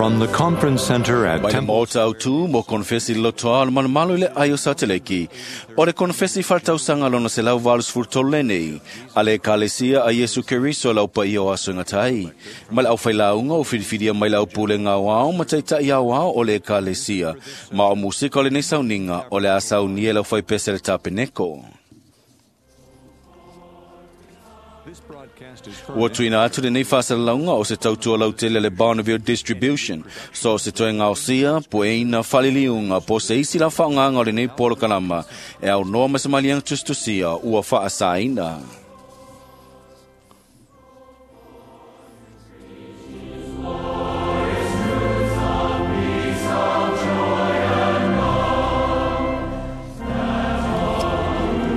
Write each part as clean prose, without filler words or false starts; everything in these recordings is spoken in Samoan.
From the conference center at Mai le Temple maota autu mo konfesi lotoa o le malumalu i le ai o Sateleki. O le konfesi whaltausaga lona se lau valu sefulu lenei, a le ekalesia a Iesu Keriso lau paia o aso e gata ai. Ma le aufailauga o filifilia mai le aupulega aoao ma taita'i aoao o le ekalesia. Ma o musika o lenei sauniga o le a saunia e le aufaipese le tapeneko. Ua tuuina atu lenei faasalalauga o se tautua lautele a le Bonneville Distribution, so o se toe gaosia, pueina, faliliuga, po o se isi la faaaogaga o lenei polokalama e aunoa ma se maliega tusitusia ua faasaina.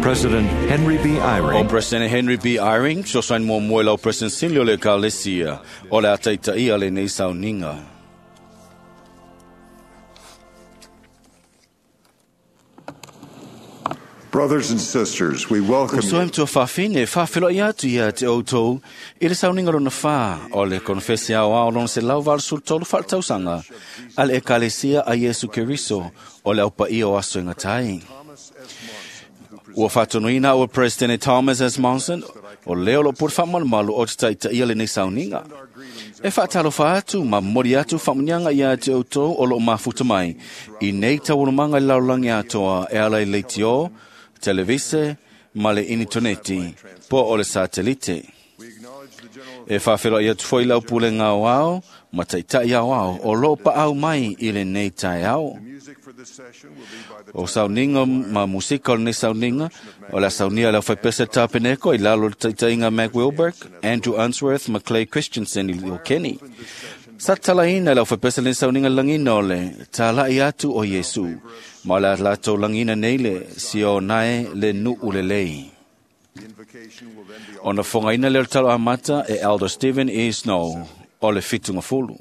President Henry B. O Eyring, President Henry B. Eyring, fesoasoani muamua i lau President Sili o le Ekalesia, o le a taitaia lenei sauniga. Brothers and sisters, we welcome Uso e you matua faafine, faafeloai atu ia te outou i le sauniga lona whā o le konfesi aoao lona se lau 83 faaletausaga a le ekalesia a Iesu Keriso o le aupaia o aso e gata ai. Ua faatonuina ua President Thomas S. Monson o lea o loo pule faamalumalu o te taitaia lenei sauniga. E faatalofa atu ma momoli atu faamuniaga ia te outou o loo mafuta mai i nei taualumaga i le lalolagi atoa e ala i leitio, televise ma le initoneti po o le satelite. E faafeloai atu foi lau pulega aoao ma taita'i aoao o loo paau mai i lenei taeao. O sauniga ma musika o lenei sauniga, o le a saunia e le aufaipese tapeneko i lalo o le taitaiga Mac Wilberg, Andrew Unsworth ma Clay Christensen i o Kenny. Sa tatalaina e le aufaipese lenei sauniga le lagiina o le tala'i atu o Iesu, ma o le a latou lagiina nei le sionae le nuu lelei. Ona fogaina lea o le talo amata e Elder Stephen E. Snow o le fitugafulu.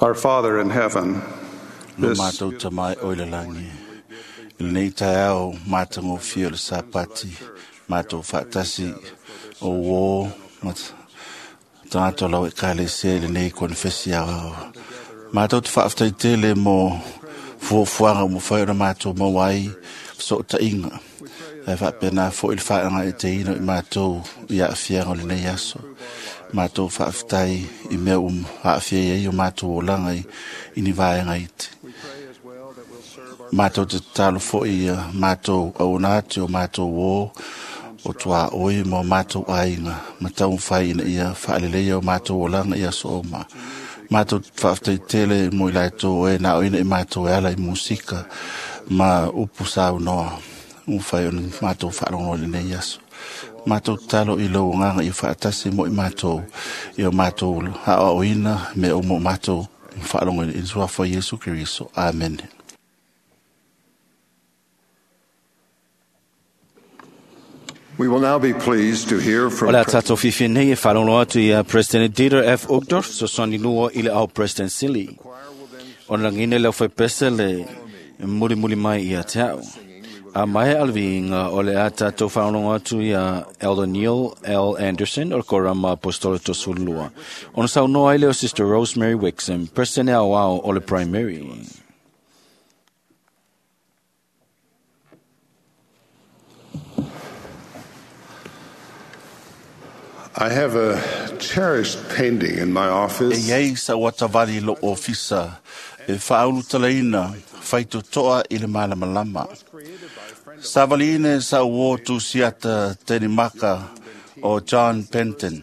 Our Father in heaven, Lo this mātou tamai o le langi. I lenei taeao matagofie o le Sapati, mātou faatasi o uō ma tagata o lau Ekalesia i lenei konefesi aoao. Mātou te faafetai tele mo fuafuaga ua mafai ona mātou maua ai fesootaiga. Ae faapena foi le faagaeeteina o i mātou i aafiaga o lenei aso. Mātou faafetai i mea ua aafia ai o mātou olaga i ni vaega iti. Mātou te tatalo foi ia mātou auona atu o mātou ō o tuaoi ma o mātou aiga ma taumafai ina ia faaleleia o mātou olaga i aso uma. Mātou faafetai tele mo i latou e na o ina i mātou e ala i musika ma upu saunoa ua mafai ona mātou faalogo i lenei aso. Mātou tatalo i lou agaga ia faatasi mo i mātou i o mātou aoaoina mea uma o mātou faalogo i le suafa o Iesu Keriso. Amene. We will now be pleased to hear O from le a tātou fiafia nei e faalogo atu ia President Dieter F. Uchtdorf, fesoasoani lua i le ao President Sili. Ona lagina le aufaipese le mulimuli mai ia te au. A mai alviinga o le a tātou faalogo atu ia Elder Neil L. Anderson o le Korama Apostolo Tosulua. Ona saunoa ai lea o Sister Rosemary Wixom, President aoao o le Primary. I have a cherished painting in my E office. iai sa ua tavali lo ofisa e faaulutalaina faitotoa i le malamalama. Savaliina e sa uō tusiata Tenimaka o John Penton.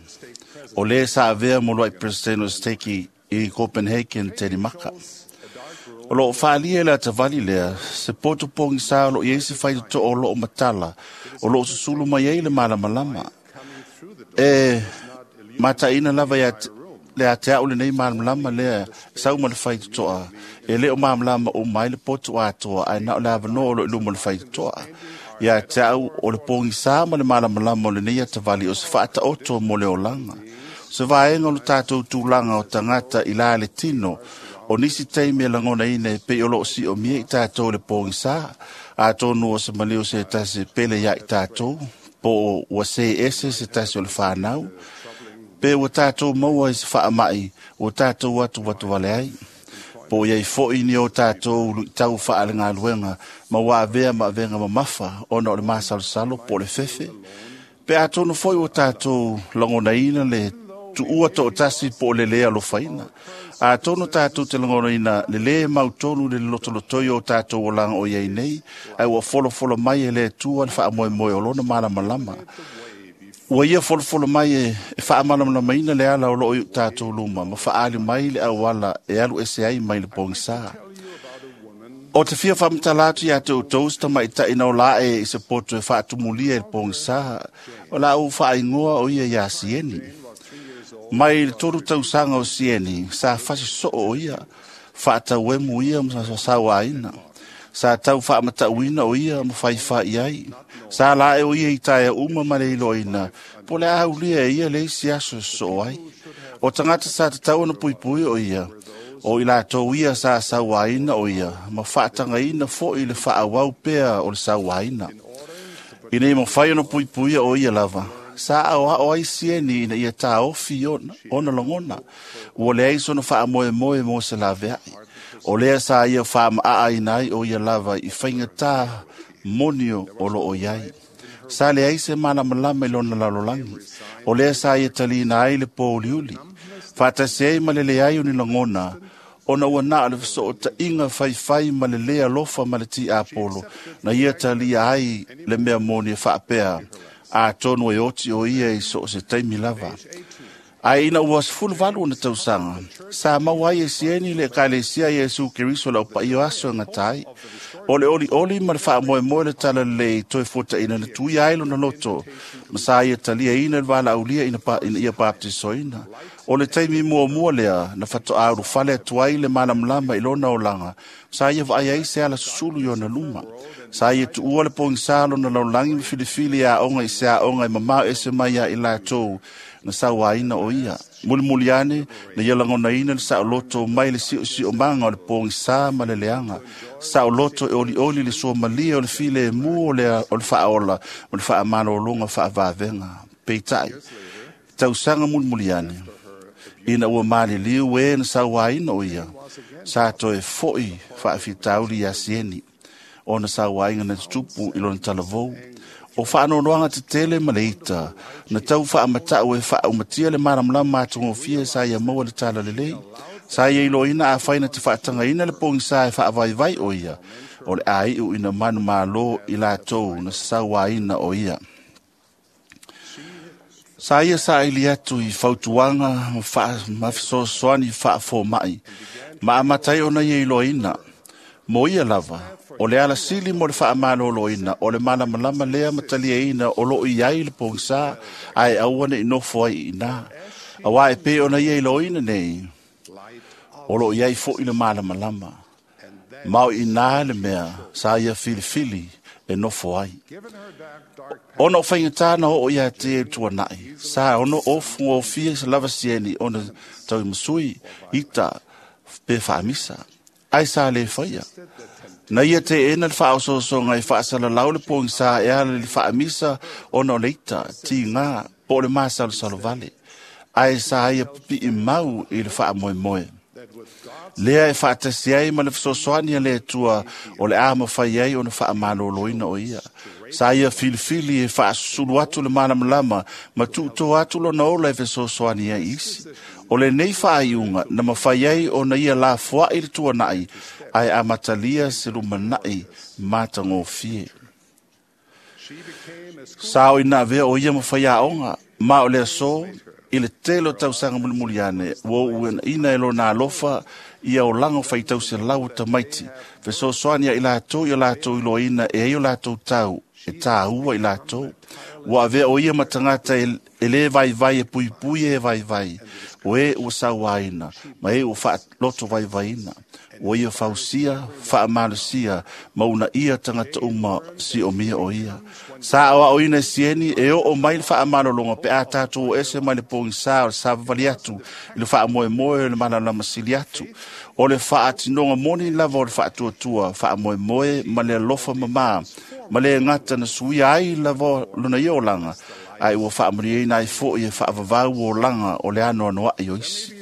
O le sa avea mo loai President o Steki i Copenhagen, Tenimaka. O loo faalia le atavali lea, se poto pongi sa o loo iai se faitotoa o loo matala, o loo susulu mai ai le malamalama. E mataina lava ia le a te au lenei malamalama lea sau ma le faitotoa e le o malamalama uma ai le poto atoa ae na o le avanoa o loo i luma o le faitotoa. Ia te au o le pogisa ma le malamalama o lenei atavali o se faataoto mo le olaga. O se vaega o le tatou tulaga o tagata i la le tino o nisi taimi e lagonaina e pei o loo siomia i tatou le pogisa atonu o se maliu se tasi pele ia i tatou po o ua se ese se tasi o le whanau, pe ua tātou maua i se faamai, ua tātou atu watu wale ai. Po iai foi ni o tātou luitau faalegaluega, ma ua avea ma avega mamafa, ona o le masalosalo po o le fefe. Pe atonu foi ua tātou lagonaina le tuua toatasi po o le lē alofaina. Atonu tātou te lagonaina le lē mautonu le lotolotoi o tātou olaga o iai nei, ae ua folofolo mai e le Atua le faamoemoe o lona malamalama. Ua ia folofolo mai e faamalamalamaina le ala o loo i tātou luma, ma faaali mai le auala e alu ese ai mai le pogisa. O te fia faamatala atu ia te outou se tamaitaʻi o la e i se poto e faatumulia i le pogisa, o la ou faaigoa o ia iā Sieni. Mai le 3 tausaga o Sieni, sa fasi soo o ia, faatauemu ia ma sauaina. Sa tau faamatauina o ia ma faifai ai. Sa la e o ia i taea uma ma le iloaina, po o le a aulia e ia le isi aso e sosoo ai. O tagata sa tatau ona puipui o ia, o i latou ia sa sauaina o ia, ma faatagaina foi le faaauau pea o le sauaina. Ina ia mafai ona puipuia o ia lava, sa aoao ai Sieni ina ia taofi ona lagona, ua leai sona faamoemoe mo se laveai. O lea sa ia faamaa ai o ia lava i faigata moni o loo iai. Sa leai se malamalama i lona lalolagi. O lea sa ia talina ai le pōuliuli. Faatasi ai ma le leai o ni lagona, ona ua na o le fesootaiga faifai ma le lē alofa ma le tiapolo, na ia talia ai le mea moni e faapea, atonu e oti o ia i so o se taimi lava. Ae ina ua 18 ona tausaga, sa maua ai e Sieni le Ekalesia Iesu Keriso le aupaia o aso e gata ai. O le olioli ma le faamoemoe le talalelei toe fuataina na tuia ai lona loto Ma sa ia taliaina le valaaulia ina ia baptisoina. O le taimi muamua lea na faatoa ulufale atu ai le malamalama i lona olaga, sa ia vaai ai se ala susulu i ona luma. Sa ia tuua le pogisa lona lalolagi ma filifili aoga i se aoga e mamao ese mai ia i latou na sauaina o ia. Mulimuli ane, na ia lagonaina le saoloto mai le siosiomaga o le pogisa ma le leaga. Saoloto e olioli le suamalie o le filemu o le faaola ma le faamalologa faavavega. Peitai, tausaga mulimuli ane, ina ua maliliu e na sauaina o ia, sa toe foi faafitauli ia Sieni, ona sauaina na tutupu i lona talavou. O faanoanoaga tetele ma le ita, na tau faamatau e faaumatia le malamalama atogofie sa ia maua le talalelei. Sa ia iloina afai na te faatagaina le pogisa e faavaivai o ia, o le aiu ina manumalo i latou na sauaina o ia. Sa ia saili atu i fautuaga ma fesoasoani faafomai, ma amata ai ona ia iloaina. Mo ia lava, o le alasili mo le faamaloloina, o le malamalama lea ma taliaina o loo i ai le pogisa, ae aua ne i nofo ai i ina. Auā e pei ona ia iloaina nei, o loo i ai fo'i le malamalama. Ma o ina le mea sa ia filifili e nofo ai. Ona o faigata na oo ia te e tuanai, sa ono ofugofie se lava sieni ona tauimasui, ita pe faamisa. Ai sa le faia. Na ia te ena le faaososoga e faasalalau le pogisa e ala i le faamisa ona o le ita, tiga, po o le masalosalo vale. Ae sa ia pipii mau i le faamoemoe. Lea e faatasi ai ma le fesoasoani a le Atua o le a mafai ai ona faamaloloina o ia. Sa ia filifili e faasusulu atu le malamalama ma tuutoa atu lona ola e fesoasoani ai isi. O lenei faaiuga na mafai ai ona ia lafoai le tuanai ae amatalia se lumanai matagofie. Sa o ina avea o ia ma faiaoga, ma o le aso i le tele o tausaga mulimuli ane, ua uuina e lona alofa ia olaga o faitauselau o tamaiti, fesoasoani ia i latou i o latou iloaina e ai o latou tau, e tāua i latou. Ua avea o ia ma tagata e lē vaivai e puipui e vaivai, o e ua sauaina, ma e ua faaloto vaivaiina. Ua ia fausia, faamalosia, ma uunaia tagata uma siomia o ia. Sa aoaoina e Sieni e oo mai le faamalologa pe a tatou o ese mai le pogisa o le savavali atu i le faamoemoe o le malamalama sili atu. O le faatinoga moni lava o le faatuatua, faamoemoe ma le alofa mamā, ma le gata na suia ai lava lona ia olaga, ae ua faamanuiaina ai fo'i e faavavau olaga o le anoanoai o isi.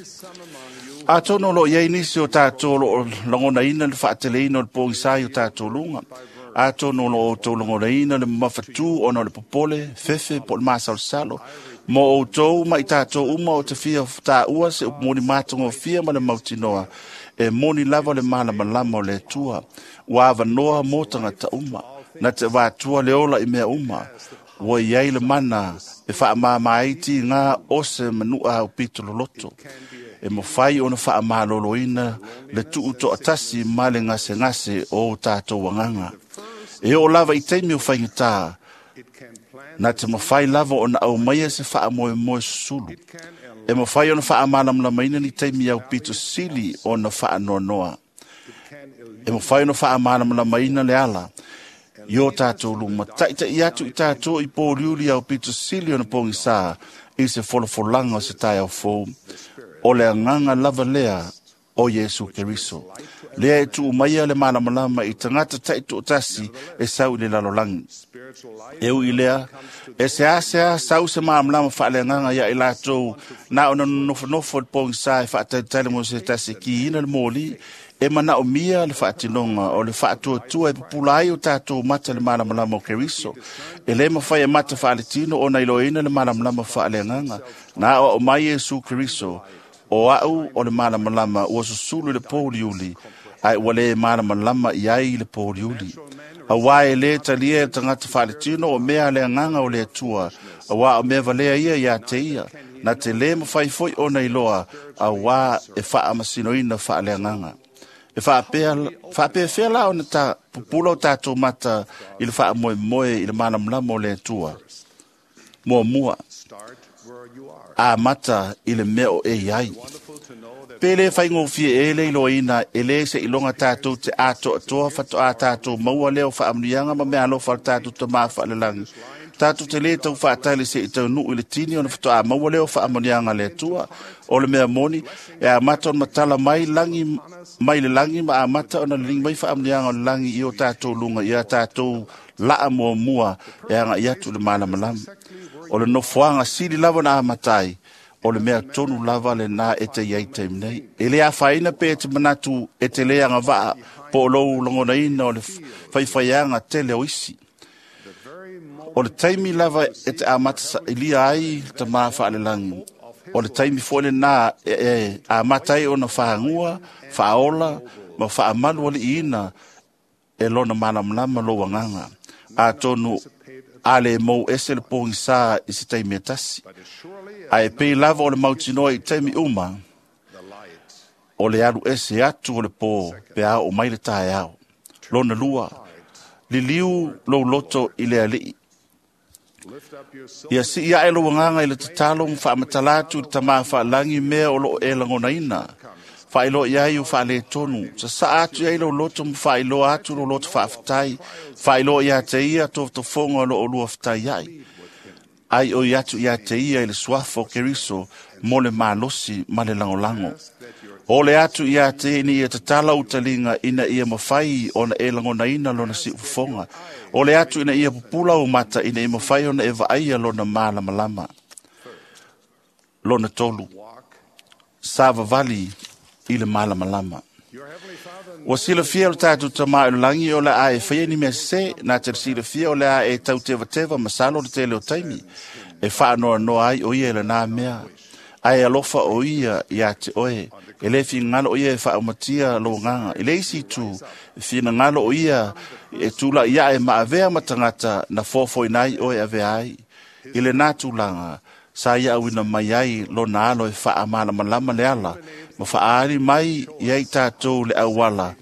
Atonu o loo i ai nisi o tatou o loo lagonaina le faateleina o le pogisa i o tatou luga. Atonu o loo outou lagonaina le mamafatū ona o le popole, fefe po o le masalosalo. Mo outou ma i tatou uma o te fia tāua se upu moni matagofie ma le mautinoa, e moni lava le malamalama o le Atua. Ua avanoa mo tagata uma, na te avatua le ola i mea uma. Ua i ai le mana e faamama ai tiga o se manua aupito loloto. E mafai ona faamaloloina le tuutoatasi ma le gasegase o tatou agaga. E oo lava i taimi o faigata, na te mafai lava ona aumaia se faamoemoe susulu. E mafai ona faamalamalamaina ni taimi aupito sili ona faanoanoa. E mafai ona faamalamalamaina le ala i o tatou luma, taitai atu i tatou i pōliuli aupito sili ona pogisa i se folafolaga o se taeao fou. O le agaga lava lea o Iesu Keriso. Lea e tuu maia le malamalama i tagata taitoatasi e sau i le lalolagi. E ui lea, e seasea sau se malamalama faaleagaga ia i latou na ona nofonofo i le pogisa e faatalitali mo se tasi e kiina le moli, e manaomia le faatinoga o le faatuatua e pupula ai o tatou mata le malamalama o Keriso. E lē mafai e mata faaletino ona iloaina le malamalama faaleagaga. Na aoao mai Iesu Keriso, o au o le malamalama ua susulu i le pouliuli, ae ua lē malamalama i ai i le pouliuli. Auā e lē talia e le tagata faaletino o mea a le agaga o le Atua, auā o mea valea ia iā te ia, na te lē mafai foi ona iloa, auā e faamasinoina faaleagaga. E faapefea la ona ta pupula o tatou mata i le faamoemoe i le malamalama o le Atua. Muamua, amata i le mea o e iai. Pe le whaingofie e le iloina e le se ilonga tātou te atoatoa whatoa tātou maua leo whaamunianga ma mea alofa le tātou te maa whaalelangi. Tātou te le tau whaatali se i tau nuu i le tini o na whatoa maua leo whaamunianga le atua o le mea moni e amata ona matala mai, langi, mai le langi ma amata ona le lingi mai whaamunianga o le langi i o tātou lunga i a tātou laa mua mua e anga i atu le malamalama. O le nofoanga sili lava na amatai o le mea tonu lava le nā e te iai taimi nei. E le afaina pe te manatu e te leanga vaa po o lou langonaina o le whaiwhaianga tele o isi. O le taimi lava e te amata sailia ai ta maa whaalelangi. O le taimi fo le nā e amata ai ona whaangua, whaola, ma whaamalu ali ina e lona malamalama lo wanganga. A tonu ale mou ese le pongi sa i se taimi e tasi. A e pei lava o le mautinoa i taimi uma, o le alu ese atu o le pō pe a o mai le tae ao. Lona lua, liliu lou loto i le alii. Ia si ia e lo wanganga i le tatalo ma whaamatala atu i tama whaalangi mea o loo e langonaina. Whailo ia i o whaale tonu. Sa sa atu ia i lo loto ma whailo atu lo loto whaaftai. Whailo ia te ia tō tofonga lo o lua whatai ai. Ai o atu ia te ia i le suafo keriso mo le malosi ma le langolango. O le atu ia te ni ia tatala utalinga ina ia mawhai ona e langonaina lona si ufonga. O le atu ina ia pupula o mata ina ia mawhai ona e vaaia lona malamalama. Lona tolu. Sa vavali i le malamalama. Ua silafia o le tātou tamā o le langi o le a e whaia ni mea se, nā te silafia o le a e tau teva teva masalo le tele o taimi. E whaanoa noa ai o ia e le nā mea. Ai alofa o ia ia te oe. E le whingalo o ia e whaamatia lo nganga. E le isi tu, whingalo o ia e tūla ia e maavea matangata na fōfo inai oe avea ai. I le nā tūlanga, sa ia awina mai ai lo nā alo e whaamalamalama le ala, ma whaari mai i ai tātou le awala.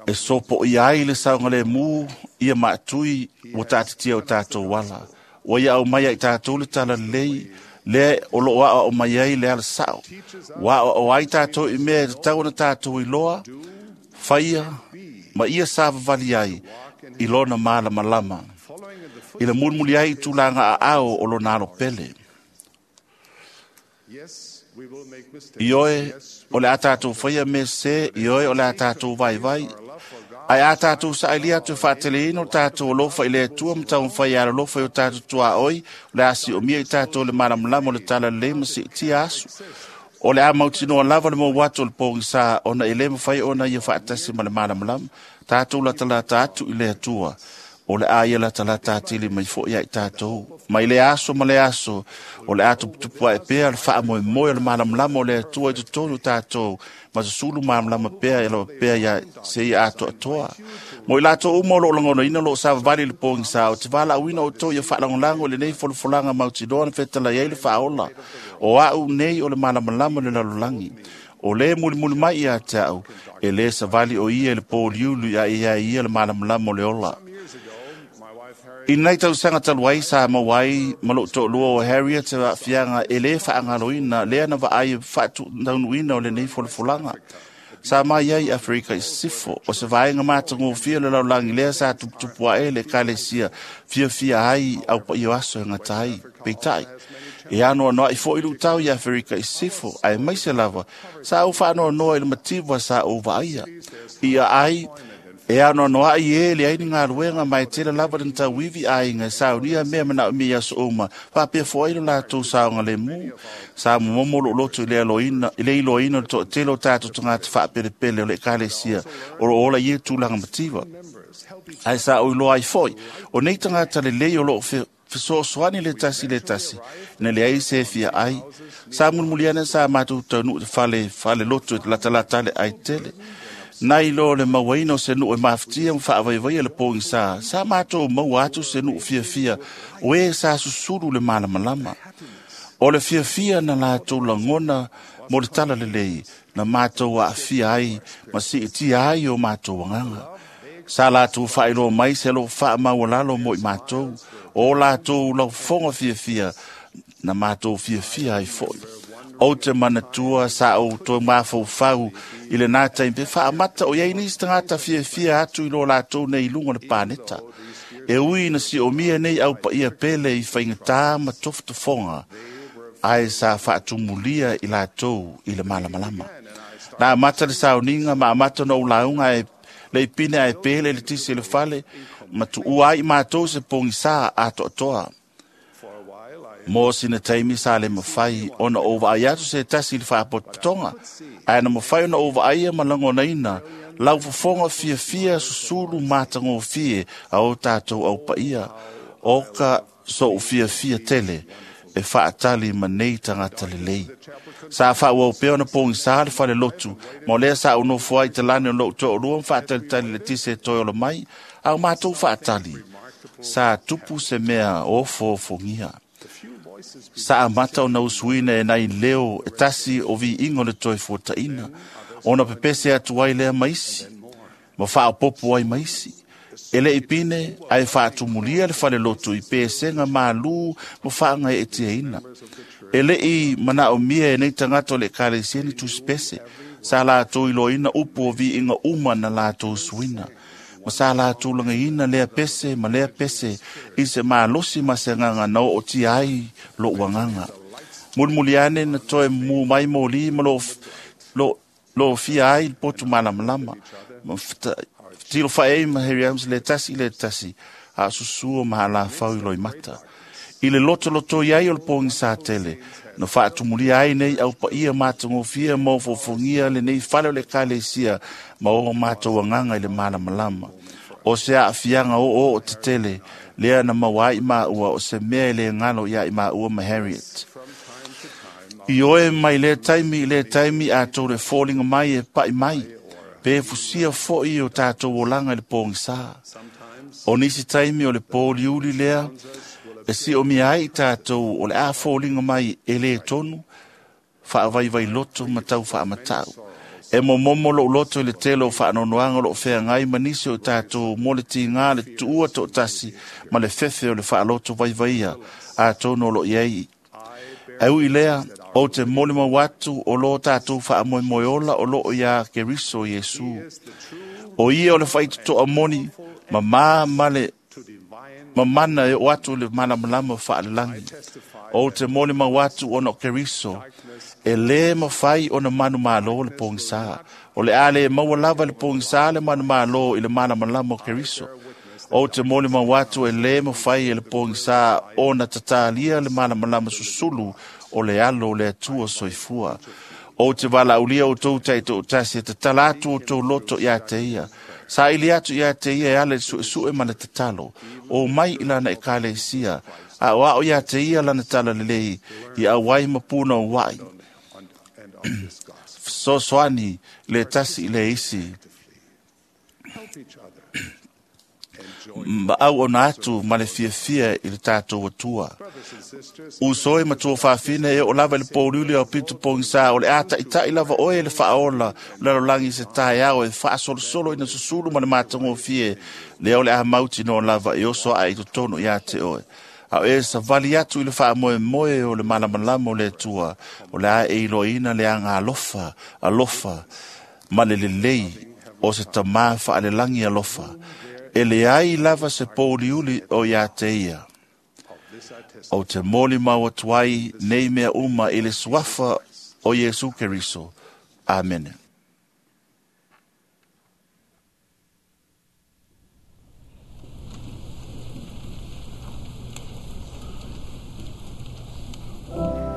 E sopo i ai le saunga le mū, ia maatui o tātitia o tātou wala. Wa ia au mai ai tātou le tala lei, le o lo a o mai ai le ala sao. Wa o ai tātou i mea te tau na tātou i loa, whaia, ma ia sa vavali ai i lona malamalama. I le mulmuli ai tūlanga a ao o lona alo pele. I oe o le a tātou whaia me se, i oe o le a tātou vai vai. Ai a tātou saili atu e whaateleina o tātou alofa i le atua ma tau whai ala alofa i o tātou tua oi, o le asi o mia i tātou le malamalama o le tala le ma se tia asu. O le a mautinoa lava le mō watu o le pōngi sa ona i le mawhai ona ia whaatasi ma le malamalama, tātou latalata atu i le atua. O le a ia latalata atili mai fo ia i tātou. Mai le aso ma le aso, o le a tuputupu e pea le wha moe moe o le malamalama o le atua i te tonu tātou. Ma se sulu malamalama pea e lawa pea ia se ia atoa atoa. Mo i lātou uma o lo langono ina lo sa vavali le pōngi sa o te wala uina o tō ia whaalangolango le nei folofolanga mautinoa na whetala iai le whaola. O au nei o le malamalama le lalolangi. O le muli muli mai ia te au, e le savali o ia le pōliulu ia ia ia le malamalama o le ola. I nei tausaga talu ai sa mauai ma lou toalua o Harriet e aafiaga e lē faagaloina lea na vaai e faataunuuina o lenei folafolaga. Sa mai ai Afrika i sisifo o se vaega matagofie o le lalolagi lea sa tuputupu aʻe le ekalesia fiafia ai au paia o aso e gata ai. Peitai, e anoanoaʻi foʻi luʻutau i Afrika i sisifo ae maise lava sa ou faanoanoa i le mativa sa ou vaaia. Ia ai e anoanoaʻi e le ai ni galuega ma e tele lava le tauivi aiga e saunia mea manaomia i aso uma faapea foai lo latou saoga lemu. Sa momomo loo loto i le aloina i le iloaina o le toatele o tatou tagata faapelepele o le ekalesia o loo ola i e tulaga mativa. Ae sa ou iloa ai foʻi o nei tagata lelei o loo fesoasoani le tasi le tasi na le ai se fia ai. Sa mulimuliana sa matou taunuu te fale fale loto e latalata le ai tele. Nai lo le mauaina o se nuu e mafatia ma faavaivaia le pōgi sa, sa mātou maua atu se nuu fiafia o e sa susulu le malamalama. O le fiafia na latou lagona mo le tala lelei na mātou aafia ai ma siitia ai o mātou agaga. Sa latou faailoa mai se alo faamaualalo mo i mātou. O latou laufofoga fiafia na matou fiafia ai fo'i. Ou te manatua sa ou toe mafaufau i lenā taimi pe faamata o iai nisi tagata fiafia atu i lo latou nei i luga o le paneta. E ui na siomia nei au paia pele i faigatā ma tofotofoga, ae sa faatumulia i latou i le malamalama. Na amata le sauniga ma amata ona ou lauga ae le ipine ae pele le tisi i le fale, ma tuua ai i matou se pogisā atoatoa. Mo sina taimi sa le mafai ona ou vaai atu se tasi i le faapotopotoga, ae na mafai ona ou vaaia ma lagonaina laufofoga fiafia susulu matagofie a o tatou au paia, o ka so'u fiafia tele e faatali ma nei tagata lelei. Sa faaauau pea ona pogisā le falelotu, ma o lea sa ou nofo ai i talane o lo'u to'alua ma faatalitali le tisi e toe ola mai, a o matou faatali, sa tupu se mea ofoofogia. Sa amata ona usuina e nai leo e tasi o viiga o le toe fuataʻina, ona pepese atu ai lea ma isi, ma faaopopo ai ma isi. E leʻi pine ae faatumulia le falelotu i pesega malū ma faagaeetiaina. E leʻi manaʻomia e nei tagata o le ekalesia ni tusipese, sa latou iloaina upu o viiga uma na latou suina. Ma sa latou lagaiina lea pese ma lea pese i se malosi ma se agaga na ootia ai loʻu agaga. Mulimuli ane na toe mumu mai moli ma lofia ai le potu malamalama. Ma tilo faʻe ai ma Harry Adams le tasi i le tasi, a o susua ma alafau i loimata. I le lotolotoi ai o le pogisā tele, na faatumulia ai nei au paia matagofie ma ofoofogia lenei fale o le ekalesia ma o matou agaga i le malamalama. O se aafiaga oooo tetele lea na maua ai maua o se mea e lē galo iā i maua ma Harriet. I oe mai lea taimi i lea taimi atou le foliga mai e paʻi mai, pe fusia foʻi o tatou olaga i le pogisā. O nisi taimi o le pōliuli lea e siomia ai i tatou o le a foliga mai e lē tonu, faavaivailoto ma tau faamataʻu. E momomo loʻu loto i le tele o faanoanoaga o loʻo feagai ma nisi o i tatou mo le tigā le tuua toʻatasi ma le fefe o le faaloto vaivaia atonu o loo i ai. Ae ui lea, ou te molimau atu o lō tatou faamoemoe ola o loo iā Keriso Iesu. O ia o le faitotoa moni, mamā ma le mamana e oo atu i le malamalama faalelagi. Ou te molimau atu ona o Keriso, e lē mafai ona manumālō le pogisā. O le a lē maua lava le pogisā le manumālō i le malamalama o Keriso. Ou te molimau atu e lē mafai e le pogisā ona tatalia le malamalama susulu o le alo o le Atua soifua. Ou te valaaulia outou taitoʻatasi e tatala atu outou loto iā te ia. Saili atu iā te ia e ala i le suʻesuʻe ma le tatalo. O mai i lana ekalesia, a o aʻo iā te ia lana talalelei, i auai ma punouaʻi. Fesoasoani le tasi i le isi. Ma auauna atu ma le fiafia i le tatou Atua. Uso e matua fafine e oo lava i le pouliuli o pito pogisā o le a taʻitaʻi lava oe le faaola lalolagi i se taeao e faasolosolo ina susulu ma le matagofie lea o le a mautinoa lava e oso ae i totonu iā te oe. A o e savali atu i le faamoemoe o le malamalama o le Atua, o le a e iloaina le aga alofa, alofa ma le lelei o se tamā faalelagi alofa. E leai lava se pouliuli o iā te ia. Ou te molimau atu ai nei mea uma i le suafa o Iesu Keriso. Amene. Savior.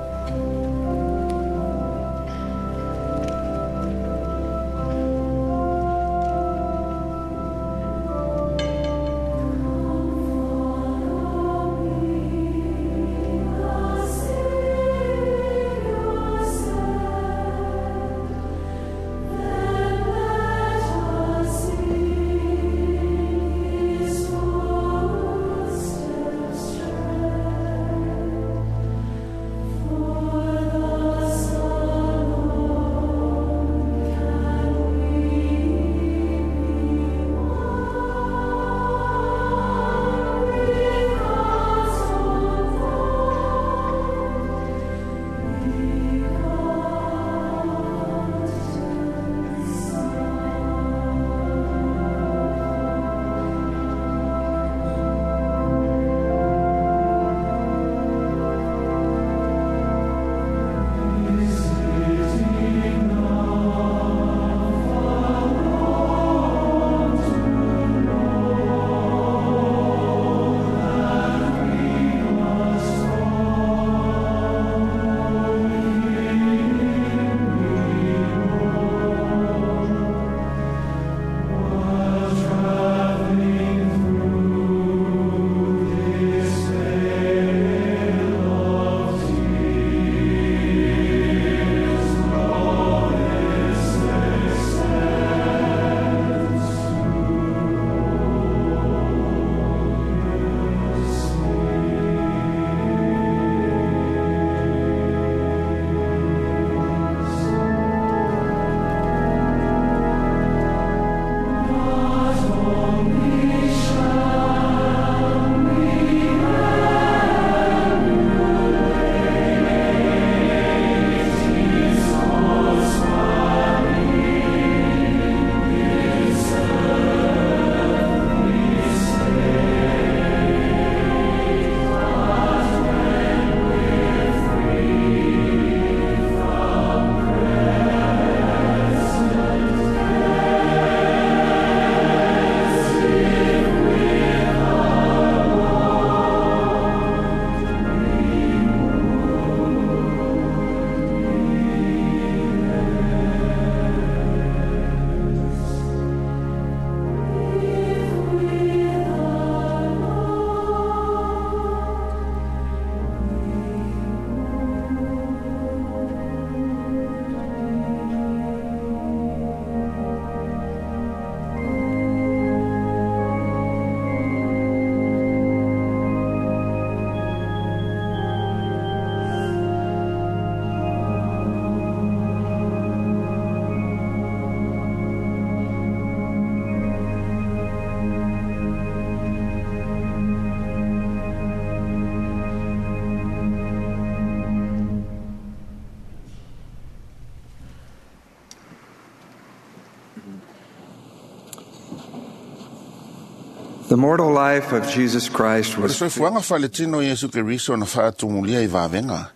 The mortal life of Jesus Christ O le was soifuaga faaletino Iesu Keriso na faatumulia i vavega.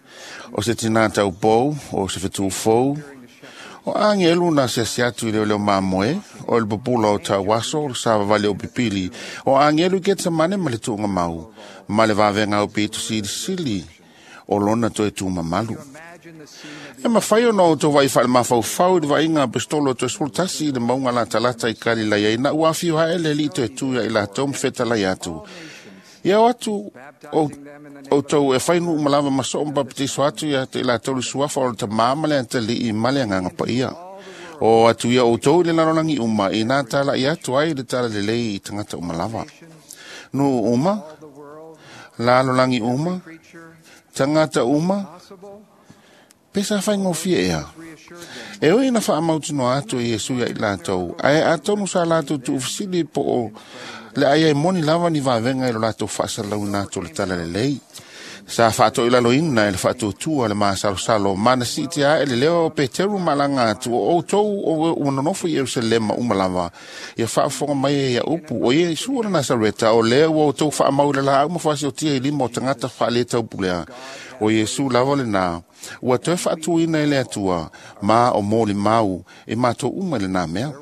O se tinā taupou, o se fetūfou, o agelu na siasi atu i leoleo mamoe, o le pupula o tauaso, o le savavali o pipili, o agelu i Ketsemane ma le tuuga mau, ma le vavega o pito silisili, o lona toe tumamalu. E mawhai ona o tō vai whaale mafaufau i le vainga a pistolo o toe 11 i le maunga latalata i Kalilaia i na ua awhio haele li toe tū ia i latou mwhetalai atu. Ia o atu o tau e whainu umalava maso mbapatiso atu ia te latou le suafa o le tamā ma le antali i male anganga paia. O atu ia o tau i le lalolangi uma i nā tala i atu ai le tala lelei i tangata umalava. Nu uma, lalolangi uma, tangata uma, pesa whai ngofia ea. E oi na wha mautino atu i Yesu ia i lātou, ae atonu sa lātou tuufisili po o le aia e moni lava ni vavenga i lo lātou whaasalau nā le tala lelei. Sa whaato i lalo ina e le whaatuatua le maasalosalo, mana si te a e le leo o Peteru malanga atu o outou o unonofo i Yerusalema umalava. Ia whaafonga mai e ia upu o ia Isu o le Nazareta o lea ua outou whaamau le la au mawhasi o tia i lima o tangata whaale taupulea. O Iesu lava le nā, ua toe whaatuina e le atua, ma o mōli mau e mātou uma le nā mea.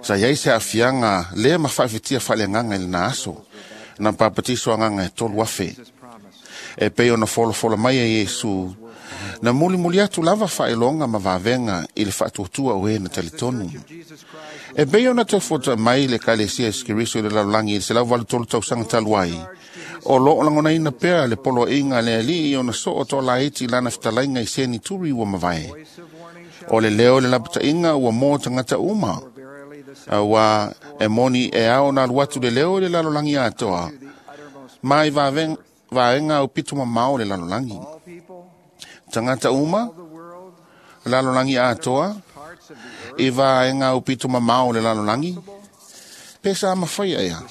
Sa iai se afianga lea ma whaafetia whaleanganga i le nā aso, na papatiso anganga e tolu afe. E pei ona folofola mai e Iesu, na muli muli atu lava whaelonga ma vavenga i le whaatuatua o e na talitonu. E pei ona te fota mai le kalesia e skiriso i le lalolangi i le 183 tausaga talu ai. O loo langona ina pea le polo inga le ali i ona soo tō laiti lana fitalainga i seni turi ua mavae. O le leo le lapata inga ua mō tangata uma. Ua e moni e ao nā luatu le leo le lalolangi atoa. Mai vaenga o pitu mamao le lalolangi. Tangata uma, lalolangi atoa, i vaenga o pitu mamao le lalolangi. Pesa ama whaia ea.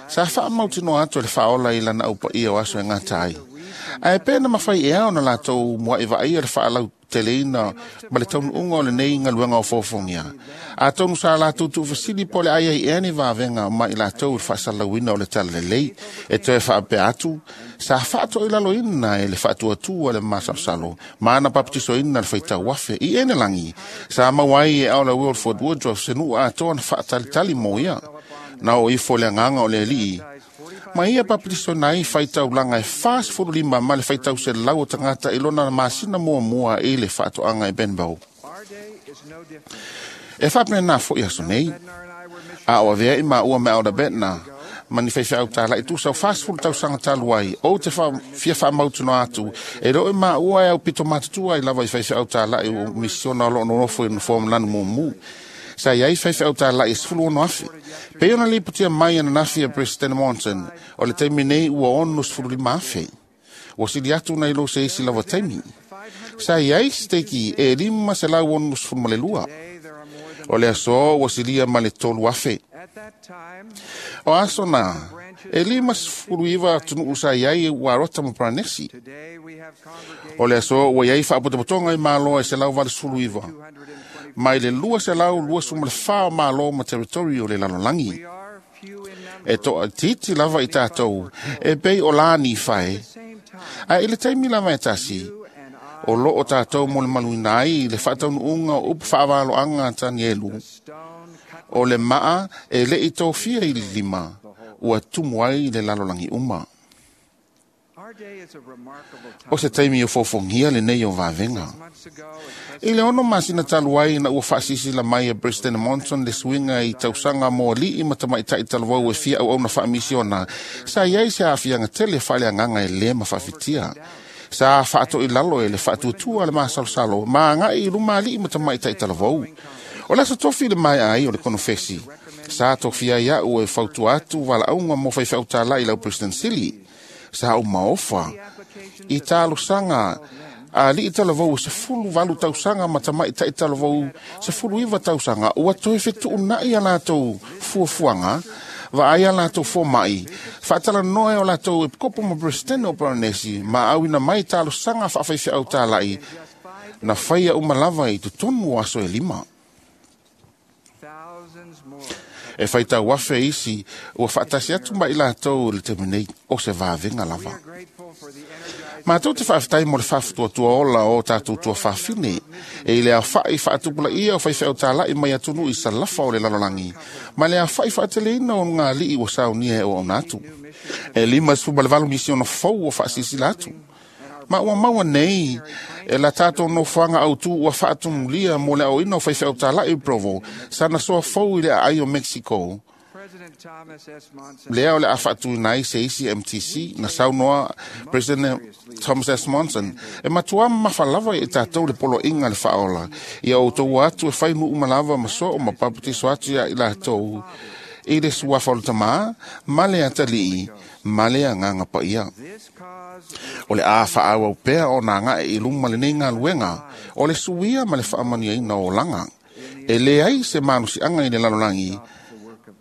Sa wha mautino atu le whaola i lana upa ia o aso e ngā tai. Ae pēna mawhai ea ona lātou mua i vaia le whaalau teleina ma le taunu unga o le nei ngaluenga o fōfongia. A tonu sa lātou tuufasili po le aia i ea ni vāvenga ma i lātou le whaasalauina o le tala lelei e toe whaapea atu. Sa whaato i lalo ina e le whaatuatua le masalosalo maana papatiso ina le whaitau wafe i ene langi. Sa mauai e aola Wilford Woodruff se nuu atoa na whaatalitali mō ia. Na o ifo le anganga o le lii. Ma ia papatiso nai whaitau langa e 45 ma le whaitau se lau o tangata i lona masina mua mua i le whaatoanga e Benbow. E whapene nā fo i aso nei. A o avea i ma ua mea o da Betna. Mani whaiwhai au tāla i tūsau 40 tausaga talu ai. O te fia whaamautuno atu. E roe ma ua e au pito matutua i lava i whaiwhai au tāla i o misiona o loo nonofo i nofo lanu mumu. Sa iai whaiwhai au tāla i 16 afe. Pe ona lipotia mai ana nafi a President Monson, o le taimi nei ua 65 afe. Ua sili atu nei lo se isi lava taimi. Sa iai steki e 562. O le aso ua silia ma le 3 afe. O aso nā, e 59 atunuu sa iai ua rota ma Paranesi. O le aso ua iai whaapotopotonga i māloa e 189. Mai le 224 o mālo ma territori o le lalolangi. E toa titi lava i tātou, e pei o lāni whae. A i le taimi lava e tasi, o loo tātou mo le maluina ai le whaataunuunga o upu whaawaloanga Tanielu. O le maa e le i tōfia i le lima, ua tumu ai le lalolangi uma. O se taimi o fōfongia le nei o vāvenga. I le ono masina talu ai na ua whaasisi la mai e President Monson le suinga i tausaga mo alii ma tamaitai talavou e fia auauna faamisiona. Sa iai se aafiaga tele faaleagaga e lē ma faafitia. Sa faatoʻi lalo e le faatuatua le masalosalo ma agaʻi i luma alii ma tamaitai talavou. O le aso tofi le mai ai o le konofesi. Sa tofia ai a'u e fautua atu valaauga mo faifeau i lau President Sili. Sa o maofa i talosaga a alii talavou e 18 tausaga ma tamaitai talavou 19 tausaga ua toe fetuunaʻi a latou fuafuaga vaai a latou fomaʻi faatalanoa e o latou epikopo ma President o Paranesi ma auina mai talosaga faafaifeau talaʻi na faia uma lava i totonu o aso e lima. E faitau afe isi ua faatasi atu ma i latou i le taimi nei o se vavega lava. Matou te faafetai mo le faafutuatua ola o tatou tuafafine e i le aofa'i faatupulaia o faifeau tala'i mai atunuu i salafa o le lalolagi ma le aofa'i faateleina o ulugalii ua saunia e auauna atu. E 58 misiona fou ua faasilasila atu. Ma ua maua nei e la tatou nofoaga autū ua faatumulia mo le aoina o faifeau tala'i i Provo sana soa fou i le aai o Mexico. Lea o le a faatuina ai se isi MTC na saunoa President Thomas S. Monson e matuā mamafa lava i tatou le poloaiga le faaola ia outou atu e fai nuu ma lava ma soo ma papatiso atu ia i latou i le suafa o le tamā ma le atalii ma le agaga paia. O le a faaauau pea ona agae i luma lenei galuega o le suia ma le faamanuiaina o olaga. E leai se malosiaga i le lalolagi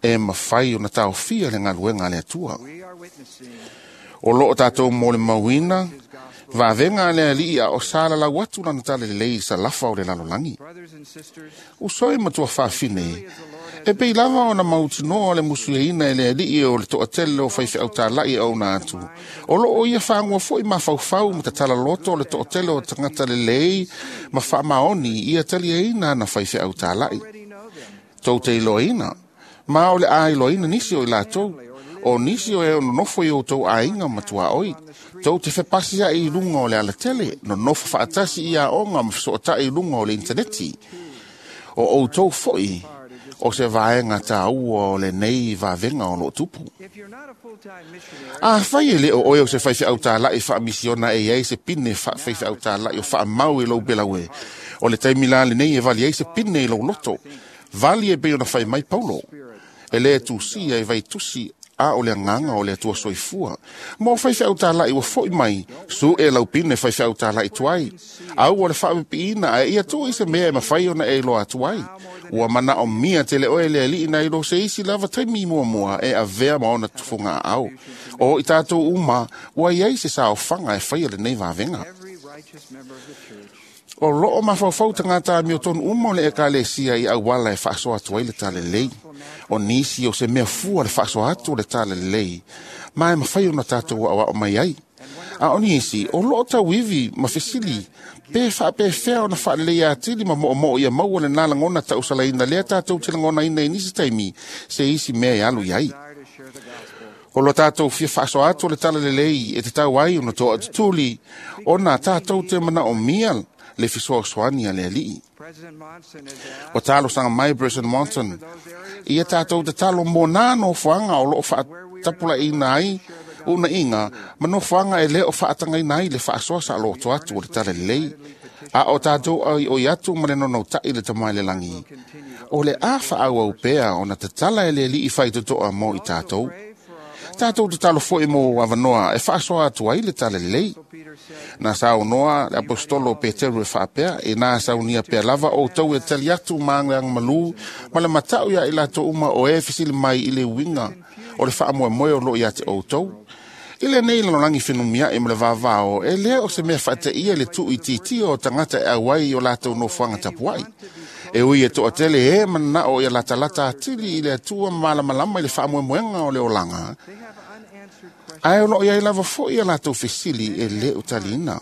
e mafai ona taofia le galuega a le Atua. O loo tatou molimauina vavega a le Alii a o salalau atu lana talalelei i salafa o le lalolagi. Uso e matua fafine, e pei lava ona mautinoa le musueina e le Alii o le toatele o faifeau tala'i e auauna atu. O loo ia faagoa foi mafaufau ma tatala loto o le toatele o tagata lelei ma faamaoni ia taliaina ana faifeau tala'i. Tou te iloaina, ma o le a iloaina nisi o i latou, o nisi o e nonofo i outou aiga ma tuaoi. Tou te fepasi ai i luga o le alatele, nonofo faatasi i aoga ma fesootai i luga o le interneti. O outou foi o se vaega tāua o lenei vavega o loo tupu. Afai e le o oe o se faifeau tala'i faamisiona e iai se pine faafeifeau tala'i o faamau i lou pelaue, o le taimi la lenei e vali ai se pine i lou loto. Vali e pei ona fai mai Paulo. E le tusia e vaitusi a o le agaga o le Atua soifua. Mo faifeau tala'i ua fo'i mai, su e lau pine faifeau tala'i tuai. Au o le faapipiina ae ia tuu i se mea e mafai ona e iloa atu ai. Ua manaomia tele oe le Alii nai lo se isi lava taimi muamua e avea ma ona tufuga aao. O i tatou uma, ua iai se saofaga e faia lenei vavega. O loo mafaufau tagata amiotonu uma o le ekalesia i auala e faasoa atu ai le talalelei. O nisi o se mea fua le faasoa atu o le talalelei, ma e mafai ona tatou aoao mai ai. A o nisi, o loo tauivi ma fesili, pe faapefea ona faalelei atili ma moomoo ia maua lena lagona tausalaina lea tatou te lagonaina i nisi taimi se isi mea e alu i ai. O lo tatou fia faasoa atu o le talalelei e tatau ai ona toatutuli, ona tatou te manaomia le fesoasoani a le Alii. O talosaga mai President Monson, ia tatou tatalo mo nā nofoaga o loo faatapulaiina ai unaiga ma nofoaga e le o faatagaina ai le faasoa saoloto atu o le talalelei. A o tatou aioi atu ma le nonoutai le tamai le lagi. O le a faaauau pea ona tatala e le Alii faitotoa mo i tatou. Tatou tatalo foi mo avanoa e faasoa atu ai le talalelei. Na saunoa le apostolo Peteru e faapea, e nā saunia pea lava outou e tali atu ma agaleagamalū ma le matau ia i latou uma o e fesili mai i le uiga o le faamoemoe o loo ia te outou. I lenei lalolagi fenumia'i ma le vavao, e lea o se mea faateia le tuuitiitia o tagata e auai i o latou nofoaga tapuai. E ui e toatele e mananao ia latalata atili i le Atua ma malamalama i le faamoemoega o le olaga, ae o loo iai lava foi ia latou fesili e lē o taliina.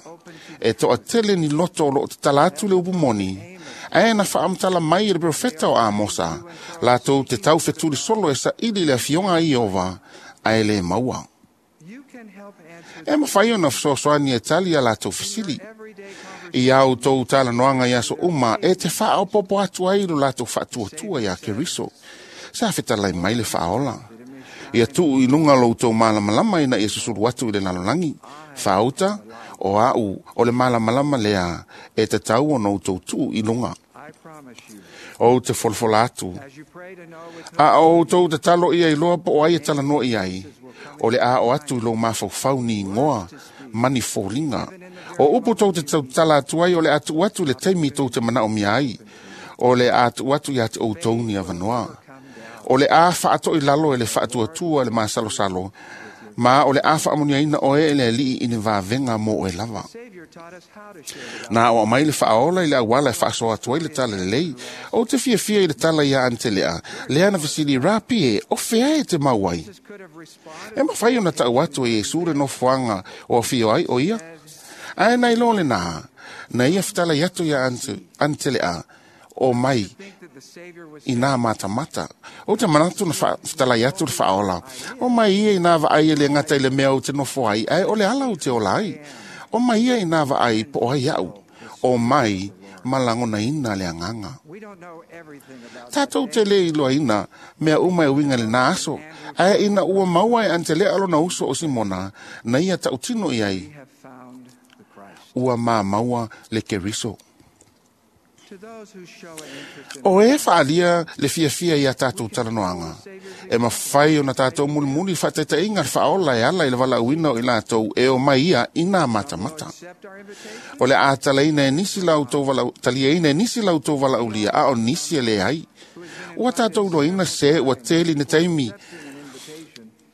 E toatele ni loto o loo tatala atu le upu moni, ae na faamatala mai e le profeta o Amosa, latou te taufetuli solo e saili le afioga a Ieova, ae lē maua. E mafai ona fesoasoani e tali a latou fesili. I au tou talanoaga i aso uma e te faaopopo atu ai lo latou faatuatua iā Keriso. Sa fetalai mai le faaola. Ia tuu i luga lo outou malamalama ina ia susulu atu i le lalolagi. Faauta, o au o le malamalama lea e tatau ona outou tuu i luga. O te folafola atu. A o outou tatalo ia iloa po o ai e talanoa i ai, o le a o atu i lou mafaufau ni igoa ma ni foliga. O upu tou te tautala atu ai o le a tuu atu le taimi tou te manaomia ai. O le a tuu atu ia te outou ni avanoa. O le a faato'i lalo e le faatuatua le masalosalo, ma o le a faamanuiaina oe e le Alii i ni vavega mo oe lava. Na o mai le whaola i le awala e whaaso atu ai le tala lelei. O te fiafia i le tala ia Antelea, lea na fesili rapi e, o fea e te mauai. E mawhai o na tau atu e Iesu le nofoanga o awhio ai o ia. Ae nei lo le nā, na ia whtala i atu ia Antelea, o mai i nā matamata. O te manatu na whtala i atu le whaola. O mai ia i nā vaai e le ngata i le mea o te nofo ai, ae o le ala o te ola ai. O mai ia i nā vaai po o ai au. O mai malangona ina le anganga. Tātou te le iloa ina, mea uma e winga le nā aso. Ae ina ua maua e Antelea alona uso o Simona, na ia tautino i ai. Ua mā maua le Keriso. O e whaalia le fiafia ia tātou talanoanga. E mawhai o na tātou mulimuli whaataitainga le whaola e ala i le wala uina o i lātou e o mai ia i nā matamata. O le ātalaina e nisi lau tau vala, taliaina e nisi lau tau wala ulia a o nisi e le ai. Ua tātou loina se ua teli ne taimi.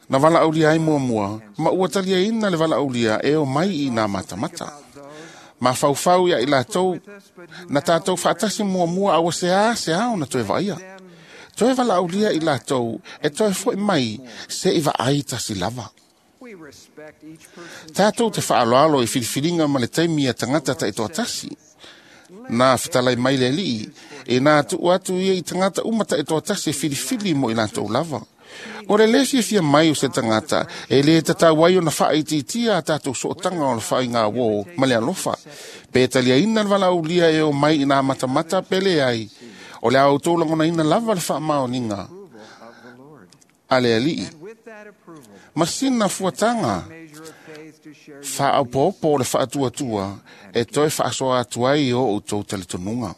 Na wala ulia ai mua mua, ma ua taliaina le wala ulia e o mai i nā matamata. Ma whauwhau ia i lātou, na tātou whaatasi mua mua awa se a se ao na toe vaia. Toe walaulia i lātou, e toe foi mai se i vaai tasi lava. Tātou te whaaloalo i whiriwhiringa ma le taimi a tangata ta i toa tasi. Nā whitalai mai le lii, e nā tuu atu ia i tangata umata i toa tasi e whiriwhiri mo i lātou lava. O le le fiafia mai o se tangata, e le tatau ai o na whaititia a tātou sootanga o le whai ngā wō, ma le alofa. Pe talia ina le walaulia e o mai i nā matamata pele ai. O le au tōlangona ina lava le whaamaoninga a le alii. Masina fuatanga, whaaupopo le whaatuatua, e toe whaasoa atu ai o o tō talitonunga.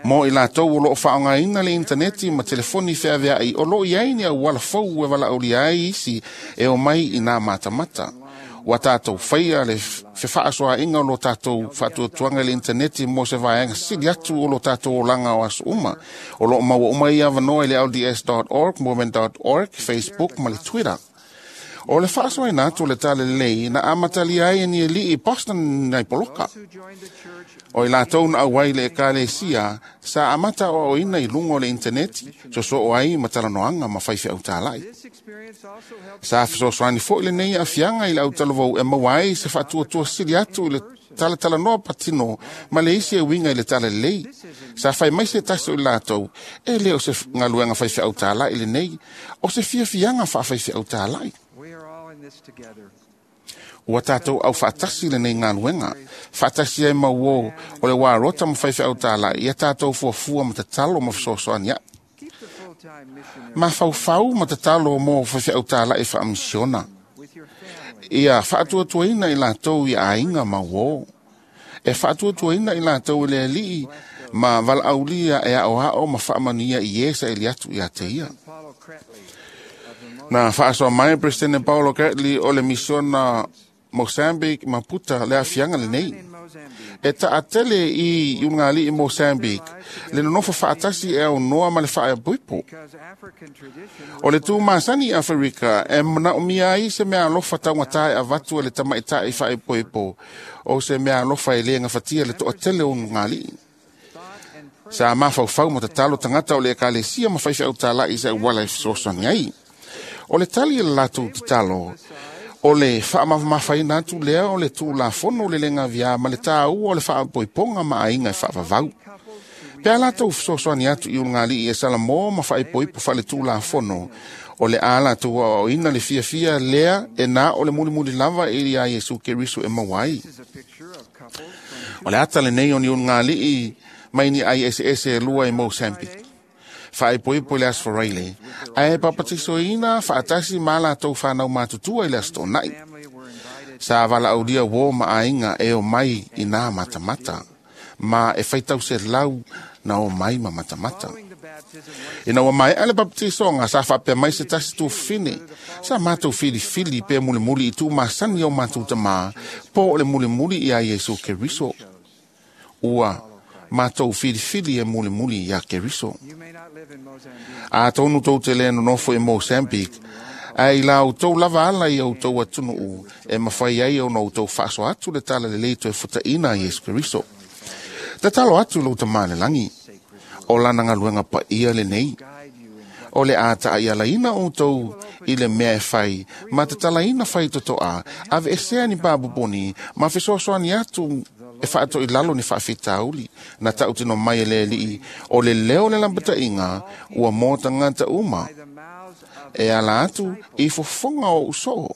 Mo i lātou o loo whaongaina le interneti ma telefoni wheaweai o loo iai ni au wala fau e wala uli ai isi e o mai i nā matamata. Wa tātou whaia le whaasoa inga o lo tātou whaatuatuanga le interneti mo se vaenga sili atu o lo tātou olanga o aso uma. O loo maua uma ia wanoa i le lds.org, movement.org, Facebook ma le Twitter. O le whaasoa ina atu le tale lei na amatali ai ni e lii Boston nei poloka. O i lātou na auai le ekalesia, sa amata o oina i lungo le interneti, so so o ai matalanoanga ma whaiwhi au tālai. Sa fesoasoani foi le nei afianga i le au talavou e maua ai se whaatuatua sili atu i le talatala patino ma le isi e winga i le tala lei. Sa whai mai se taso i lātou, e leo se ngaluenga whaiwhi au tālai le nei, o se fiafianga whaawhaiwhi au tālai. Ua tātou au whaatasi le nei ngāluenga. Whaatasi ai mau o le wā rota ma whaiwhi au tālai, ia tātou fuafua ma tatalo ma whasoasoani ai. Ma whauwhau ma tatalo mo whaiwhi au tālai whaamisiona. Ia whaatuatuaina i lātou i ainga mau o. E whaatuatuaina i lātou i le alii ma walaaulia e ao hao ma whaamania i esa e liatu i a te ia. Na whaasoa mai President Paulo Catley o le misiona Mozambique Maputa le afianga le nei. E taatele i ungali i Mozambique, le nonofo whaatasi e au noa ma le whaepuipo. O le tū masani i Afrika, e manaomia ai se mea alofa taungata e avatu e le tamaitai i whaepuipo, o se mea alofa e le ngafatia le toatele o ungali. Sa mawhauwhau ma tatalo tangata o le ekalesia ma whaiwhi au tālai sa uwala e fesoasoani ai. O le tali e le lātou tatalo, o le whaamawhawhaina atu lea o le tūlafono le lenga via ma le tāua o le whaapoiponga ma ainga e whaavavau. Pea lātou fesoasoani atu i ungali e Salamo ma whaepoipo wha le tūlafono, o le a lātou o ina le fiafia lea e nā o le mulimuli lava e ia Iesu Keriso e mawai. O le ata le nei o ni ungali i mai ni ai ese ese lua e Mozambique. Whaepoipo le asforaile, ae papatiso ina whaatasi ma lātou whanau mātutua i le astonai. Sa wala aulia wō ma ainga e o mai i nā matamata, ma e whaitau se lau na o mai ma matamata. Ina ua mai ale baptiso ngā sa whapea mai se tasi tū whine, sa mātou whiriwhiri pe mulimuli i tū masani o mātou tamā, po o le mulimuli i a Iesu Keriso. Ua mātou whiriwhiri e mulimuli i a Keriso. A tōnu tō te le nonofo i Mozambique, Ae i la outou lava ala i outou atunuu e mafai ai ona outou faasoa atu le talalelei toe futaina a Iesu Keriso. Tatalo atu lou Tamā i le lagi, o lana galuega paia lenei. O le a taaialaina outou i le mea e fai, ma tatalaina faitotoa, aveesea ni papoponi, ma fesoasoani atu e faatoilalo ni faafitauli. Na tautino mai e le Alii, o le leo o le lapataiga ua mo tagata uma, e ala atu i fofoga o usoo,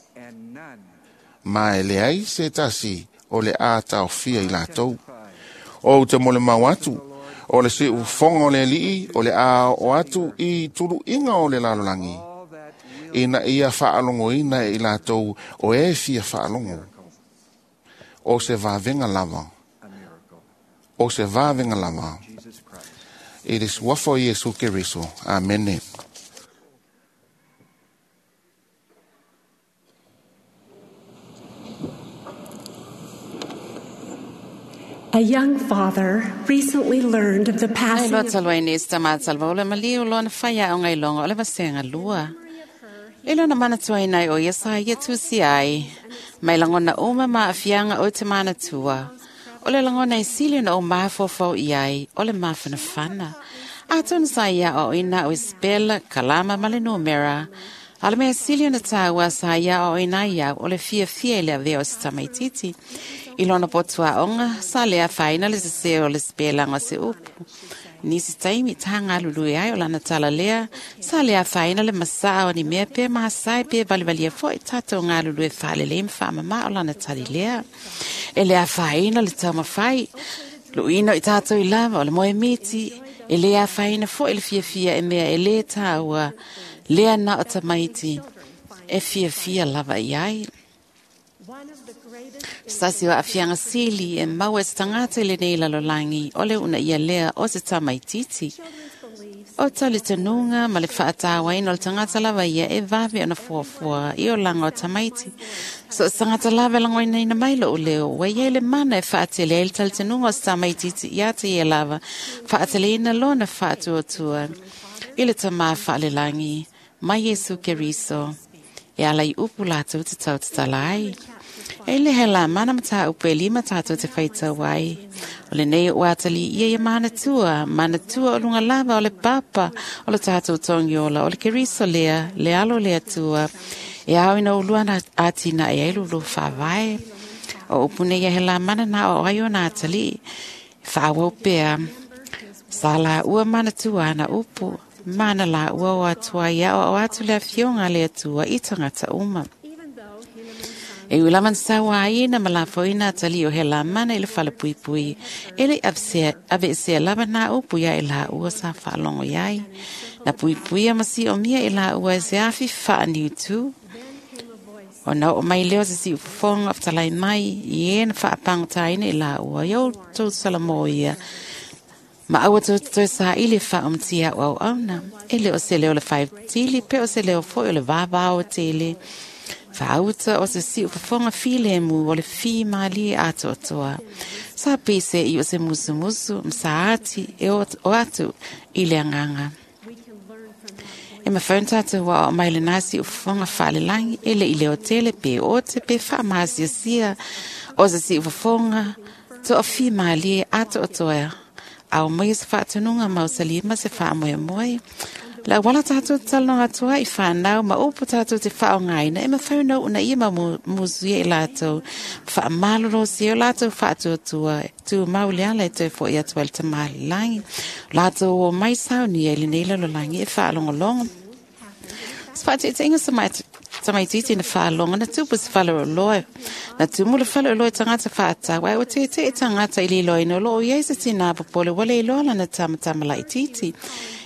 ma e leai se tasi o le a taofia i latou. O te mo le mau atu, o le siufofoga o le Alii, o le a oo atu i tuluiga o le lalolagi, ina ia faalogoina e i latou o e fia faalogo. O se vavega lava. O se vavega lava. I le suafa o Iesu Keriso. Amene. A young father recently learned of the Ai passing loa of talu ai nei se tamatalava o le maliu lona faiaoga i loga o le vasenga lua. Le lona manatuaina ai o ia sa ia tusi ai, mai lagona uma ma aafiaga o te manatua. O le lagona e sili ona ou mafaufau i ai, o le mafanafana. Atonu sa ia aoaoina au e sepela, kalama ma le numera. A o le mea sili ona tāua sa ia aoaoina ai au o le fiafia i le avea o se tamaititi. I lona potuaoga, sa le afaina le sesē o le sepelaga o se upu. Nisi taimi tagalului ai o lana tala lea, sa le afaina le masaa o ni mea pe masae pe valivalia fo'i tatou galulue faalelei ma faamamā o lana tali lea. E le afaina le taumafai, luʻuina o i tatou i lava o le moemiti, e lē afaina fo'i le fiafia e mea e lē tāua, lea na o tamaiti, e fiafia lava i ai. one of the greatest Sasi o aafiaga sili e maua e se tagata i lenei lalolagi o le uunaia lea o se tamaititi. children's beliefs O talitonuga ma le faatauaina o le tagata lava ia e vave ona fuafua i olaga o tamaiti. So o se tagata lava e lagoinaina mai lou leo, ua iai le mana e faatele ai le talitonuga o se tamaititi ia te ia lava, faateleina lona faatuatua i le tamā faalelagi, mai Iesu Keriso. E ala i upu latou te tautatala ai. E le he la mana mataupu e lima tātou te whaitau ai. O le nei o atali ia ia manatua, manatua o lunga lava o le papa, o le tātou tongiola, o le Keriso lea, le alo le atua. E au ina ulua na atina e ai lulu whavae. O upune ia he la mana na o ai o nā atali. Whaawau pea. Sa la ua manatua ana upu. Mana la ua o atua ia o atu le afioga le atua i tangata uma. even though Helaman son E ula man sawa aina ma la foina tali o he la mana i le fale pui pui. E le avesea lava nā upu ia e la ua sa whaalongo iai. Na pui pui a masi o mia i la ua e se afi wha niu tū. then came a voice O na o mai leo se si ufofonga o talai mai i e na whaapangataina i la ua. Iau tau salamo ia. Ma aua tau tau sa i le wha umtia o au auna. E le o se leo le whaitili, pe o se leo foi o le vāvāo tele. Whaauta o se si ufofonga file mu o le fi maali e atoatoa. Sa pese i o se musumusu, msaati e o atu i le anganga. we can learn from that E mawhaun tātou wa o mai le nasi o whafonga whaalelangi e le i leo tele pe o te pe whaamāsiasia o se si ufofonga to o fi maali e atoatoa. Au mai se whaatununga mausali ma se whaamoe moe. La wala tātou talonga atoa i whānau ma upu tātou te whaongaina e mawhaunau una ia ma musu ia i lātou whaamalolo si o lātou whaatuatua tū mauli ala e tau fo i atua i le tamālilangi. Lātou o mai sauni e le nei lalolagi e whaalongolongo. Se whaatēteinga sa mai tamaititi na whaalonga na tupu se whale o loe. Na tumu le whale o loe tangata whaatawa e o te te tangata i lilo ino lo o iei se tina popole wale i loa lana tamatama laititi.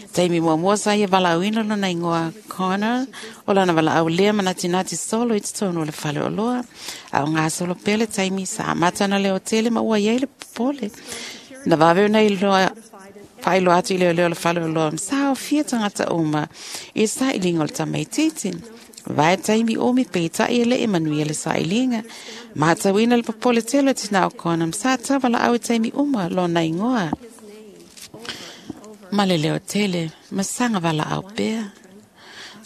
Taimi mua sa ia valauina lona ingoa Connor, o lana valaau lea manatinati solo i totonu o le fale o loa. A o ngā solo pele taimi sa amata na le o tele ma ua iai le popole. Na vave ona i loa whailo atu i leo leo le fale o loa msa o fia tangata uma i sa i linga o le tamaititi. Vai taimi omi pe tai e le e manuia le sa i linga. Mātauina le popole tele tina o kona msa tawala au i taimi uma lona ingoa. Ma le leo tele, masanga wala au pea.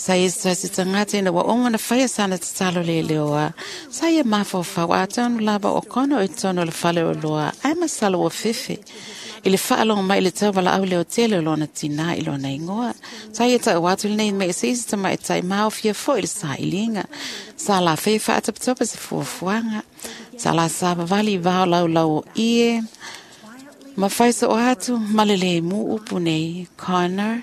Sa ia se tagata ina ua uma ona faia sana tatalo leleoa. Sa ia mafaufau atonu lava o Kona o i totonu o le fale oloa, ae masalo ua fefe. I le faalogo mai i le tauvalaau leotele o lona tinā i lona igoa. Sa ia tau atu lenei mea i se isi tamaitai maofia foi i le sailiga. Sa lafai faatopetope se fuafuaga. Sa la savavali i vao laulau o ie. Ma fai soo atu ma le lemu upu nei, Connor.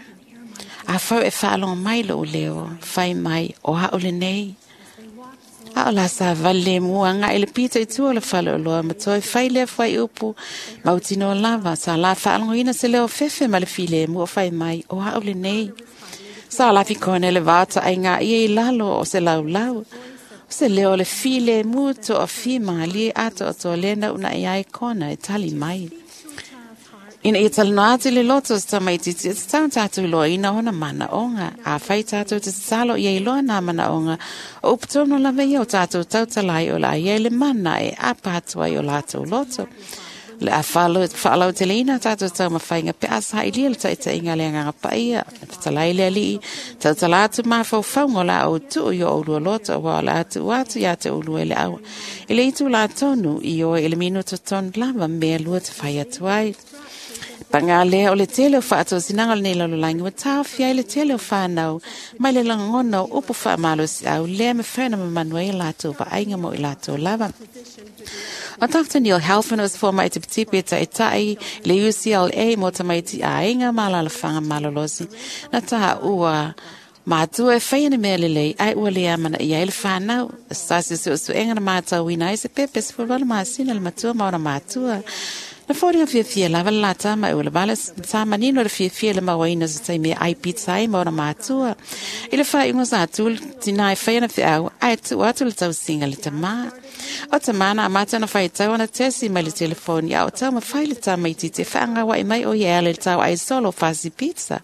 A fau e faalogo mai lou leo, fai mai o a'u lenei. A o la savavali lemu agaʻi i le pito i tua o le faleoloa ma toe fai lea fuaiupu mautinoa lava. Sa la faalogoina se leo fefe ma le filemu o fai mai o a'u lenei. Sa lafi Kona i le vao taaiga ia i lalo o se laulau. O se leo o le filemu toafimalie atoatoa lea na uunai ai Kona e tali mai. Ina ia talanoa atu i le loto o se tamaitiiti, e tatau ona tatou iloaina ona manaoga. Afai tatou te tatalo ia iloa nā manaoga, o upu tonu lava ia o tatou tautala ai o le a i ai le mana e apa atu ai o latou loto. O le a faalauteleina a tatou taumafaiga pe a sailia le taitaiga a le Agaga Paia. E fetalai le Alii, tautala atu mafaufauga o le a ou tuu i o oulua loto, aua o le a tuu atu ia te oulua i le au i le itulā tonu i oe i le minuto tonu lava mea lua te fai atu ai. Paga lea o le tele o faatosinaga o lenei lalolagi ua taofia ai le tele o whānau mai le lagona o upu faamalosiau lea mafai ona mamanu ai a latou vaaiga mo i latou lava. O Dr. Neil Halfin o se fomai tipitipi e taitai le UCLA mo tamaiti aiga ma alaalafaga malolosi. Na taua matua e faia ni mea lelei ae ua le amanaia ai le whānau. Se tasi o suesuega na matauina ai se pepe 18 masina le matua ma ona matua. Na foliga fiafia lava le la tama e ua lava sa manino le fiafia le mauaina o se taimi e ai pizza ai ma ona matua. I le faaiuga sa tu le tinā e fai ana feau ae tuu atu le tausiga le tamā. O tamā na amata ona faitau ana tesi mai le telefoni a o taumafai le tamaitiiti e faagaua'i mai o ia e ala i le tau ai solo o fasi pizza.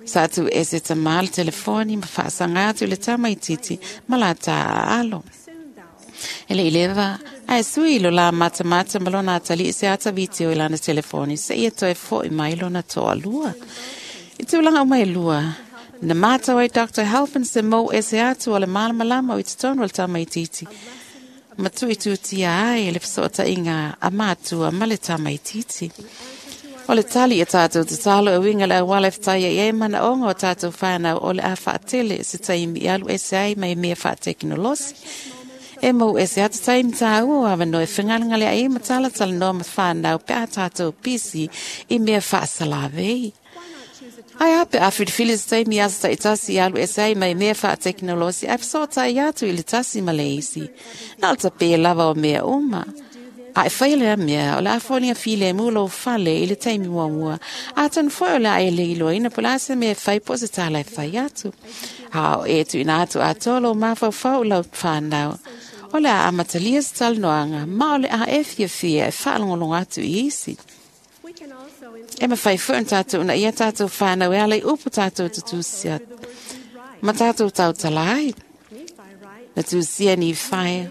Sa tuu ese tamā le telefoni ma faasaga atu i le tamaitiiti ma lata aalo. E le i leva, ae sui lo la matamata ma lona atalii se ata video i lana telefoni seia toe fo'i mai lona toalua. I tulaga uma e lua, na matau ai Dr. Halpin se mou ese atu o le malamalama o i totonu o le tamaitiiti ma tuuituutia ai le fesootaiga a matua ma le tamaitiiti. O le tali i a tatou tatalo e uiga le auala e fetaia i ai manaoga o tatou whānau o le a faatele se taimi i alu ese ai mai mea faatekonolosi. E mau ese atu taimi tāua o awanoa e whengalengale ai ma talatalanoa ma whānau pe a tātou pisi i mea faasalavei. Ae a pe a filifili se taimi aso taitasi i alu ese ai mai mea faatekonolosi ae fesoatai atu i le tasi ma le isi. Na o le tapē lava o mea uma. A e faia lea mea, o le a foliga filemu lou fale i le taimi muamua. Atonu foi o le a e le iloaina po o le a se mea e fai po o se tala e fai atu. A o e tuuina atu atoa lou mafaufau i lau whānau. O le a amatalia se talanoaga, ma o le a e fiafia e faalogologo atu i isi. E mafai foi ona tatou uunaia tatou whānau e ala i upu tatou te tusia ma tatou tautala ai. Na tusia Nifaia.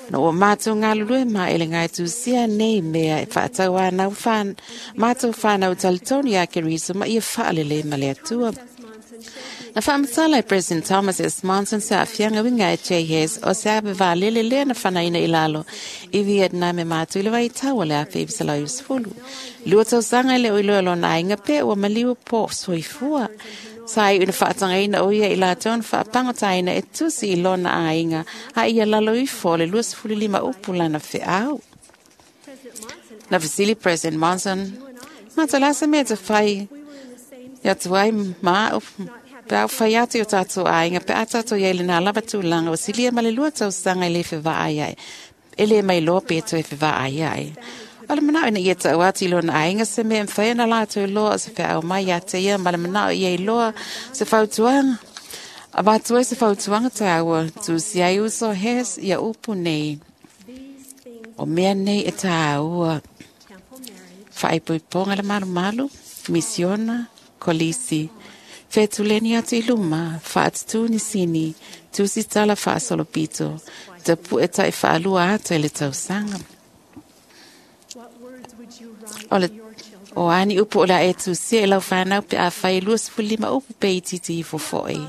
Na ua mātou galulue ma e le ngai tusia nei mea e faatau anau whan, mātou whānau talitonu ia Keriso ma ia faalelei ma le Atua. Na faamatala e President Thomas S. Monson se aafiaga uiga e JHS o se ave valele lea na fanaina i lalo i Vietnam e mātou i le vaitau o le 1990. Lua tausaga e le o iloa lona aiga pe ua maliu po soifua. Sa iu ina faatagaina o ia i latou na faapagotaina e tusi i lona aiga a ia lalo ifo o le 25 upu lana feau. Na fesili President Monson, ma te lasa mea te fai ia atu ai ma au pe au fai atu i o tātou aiga pe a tātou i ai le nā lava tulaga o silia ma le lua tausaga e le fevaai ai. E le mai loa pe toe fevaai ai. O le manao ina ia tau atu i lona aiga se mea e mafai ona latou iloa o se feau mai ia te ia ma le manao ia iloa se fautuaga. Avatu ai se fautuaga tāua, tusi ai uso hes ia upu nei. O mea nei e tāua. Faaipoipoga le malumalu, misiona, kolisi. Fetuleni atu i luma, faatutū ni sini, tusi tala faasolopito, tapu'e taifaalua ata i le tausaga. O le, O ani upu o le a e tusia i lau whanau pe a whai 25 upu pe i titi i fofoi.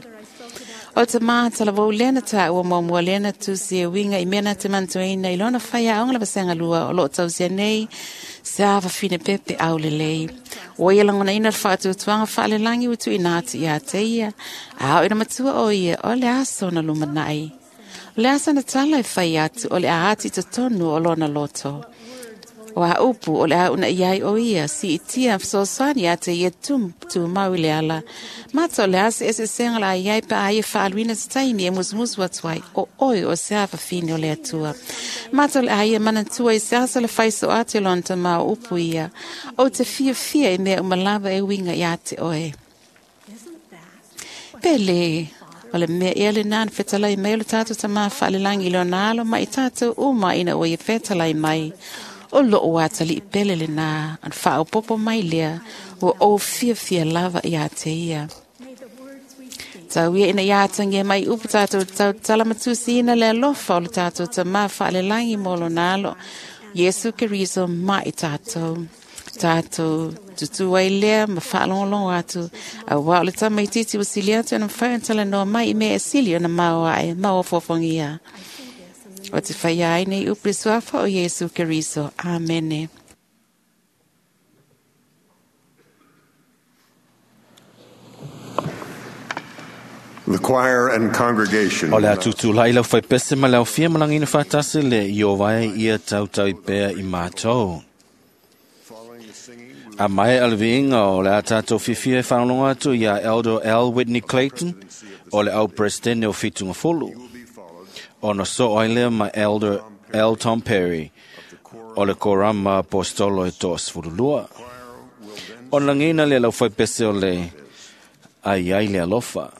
O te mātala wau lena tā ua mua lena tusi e winga i mena te mantuina i lona whai aonga la vasenga lua o loo tausia nei se awa whine pepe au lelei. O ia langona ina le whaatutuanga whaalelangi utu i nāti i a te ia. A o ina matua o ia o le aso na lumanai. O le aso na tala e whai atu o le a ati totonu o lona loto. O a upu o le a una iai o ia, si i tia sosoani a te ia tu mau i le ala. Mata o le ase ese senga la iai pa a ia whaaluina te taimi e musumusu atu ai, o oi o se awa whini o le atua. Mata o le a ia manatua i se asa le whaiso ate lona ta mau upu ia, o te fia fia i mea umalava e winga i ate oe. Pele, o le mea ea le nā na whetalai mai o le tātou ta mā whaalelangi i lona alo mai i tātou o mai ina o ia whetalai mai. O loo atali i pele le nā, an whaopopo mai lea, o o fia fia lava i a te ia. Tau ia ina ia atangia mai upu tātou tau talamatusi ina le alofa o le tātou ta mā whaalelangi mō lona alo. Yesu Keriso mai tātou. Tātou tutu ai lea ma whaalongolongo atu. A wā o le tamaititi o sili atu ana mwhai antala noa mai i mea e sili ona mau ae, mau o. O te whai ai nei upu suafa o Yesu Keriso. Amene. The choir and congregation. O le atutu lai lau whai pese ma lau fia malangina whatasi le i o vai ia tautau i pea i mātou. A mai alviinga o le a tātou whiwhia e whanalonga atu ia Elder L. Whitney Clayton o le au presidente o Whitunga Fulu. O na so ai lea ma Elder L. Tom Perry o le korama apostolo e toa sfurulua. O langina le lau whai pese o le ai ai le alofa.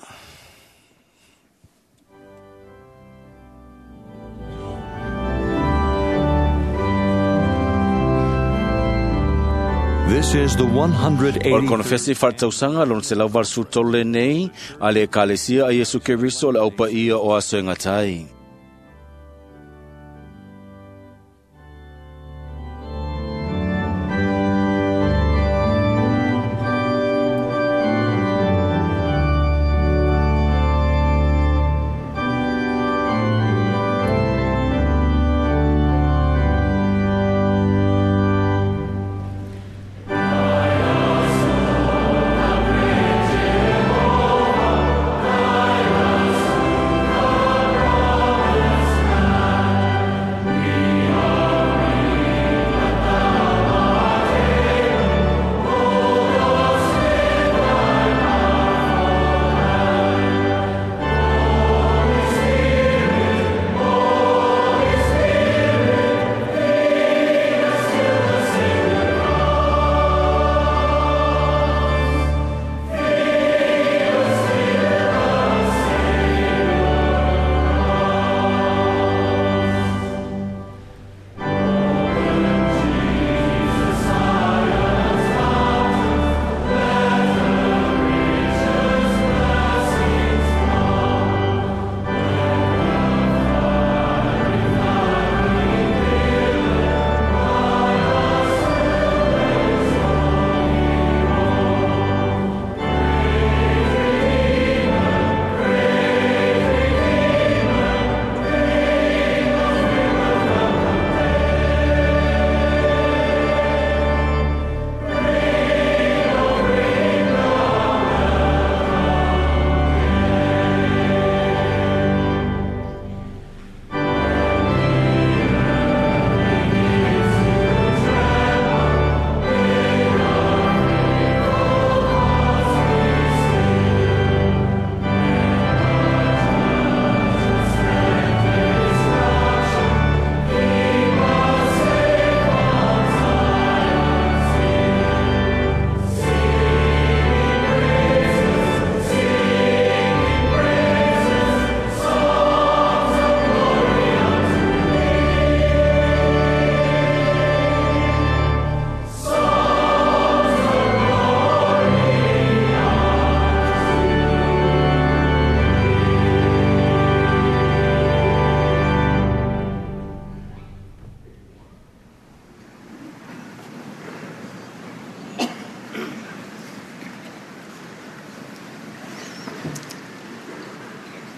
This is the O le 180. konofesi whartausanga lon se lau varsu tole nei a le ekalesia a Yesu Keriso le aupa ia o aso e ngatai.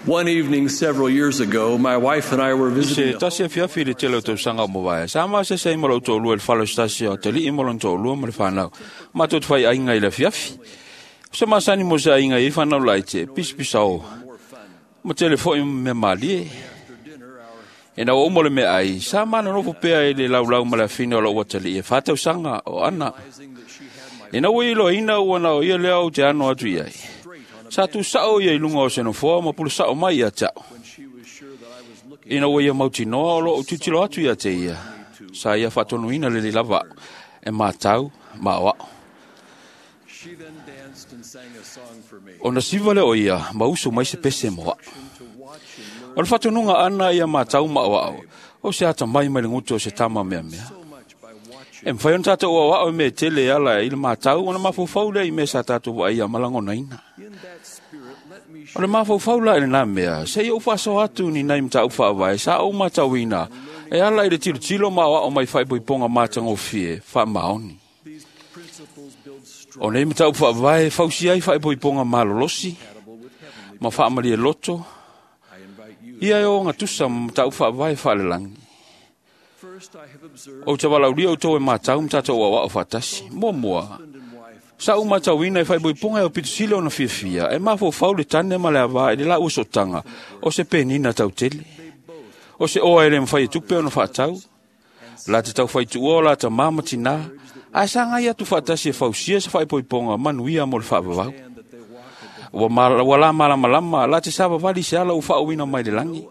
One evening several years ago, my wife and I were visiting Se tasi afiafi i le tele o tausaga o mavae, sa masese ai ma lou toalua i le fale o se tasi o atalii ma lona toalua ma le fanau. Matou te faiaiga i le afiafi. O se masani mo se aiga i ai fanau laiti, e pisapisao ma tele foi ma mea malie. Ina ua uma le meaai, sa manonofo pea i le laulau ma le afine o lou atalii e 4 tausaga o Ana. Ina ua iloaina ua na o ia lea ou te ano atu i ai. Sa tusao ia i luga o se nofoa ma pulusao mai ia te au. Ina ua ia mautinoa o loo tilotilo atu ia te ia, sa ia faatonuina lelei lava au, e matau ma aoao. Ona siva lea o ia ma usu mai se pese mo au. O le faatonuga ana ia matau ma aoao, o se atamai mai le gutu o se tama meamea. E mafai ona tatou aoao i mea tele e ala i le matau ona mafaufau lea i mea sa tatou vaaia ma lagonaina. O le mafaufau la i lena mea, seia ou faasoa atu ni nai mataupu faavae sa ou matauina e ala i le tilotilo ma aoao mai faaipoipoga matagofie faamaoni. O nei mataupu faavae e fausia ai faaipoipoga malolosi ma faamalie loto, ia e ogatusa ma mataupu faavae faalelagi. Ou te valaaulia outou e matau ma tatou aoao faatasi. Muamua, sa ou matauina e faaipoipoga e aupito sili ona fiafia, e mafaufau le tane ma le avā i le laua sootaga o se penina tautele. O se oa e le mafai e tupe ona faatau. La te taufaituua o la tamā ma tinā, ae sagai atu faatasi e fausia se faaipoipoga manuia mo le faavavau. Ua la malamalama la te savavali se ala ua faauuina mai le lagi.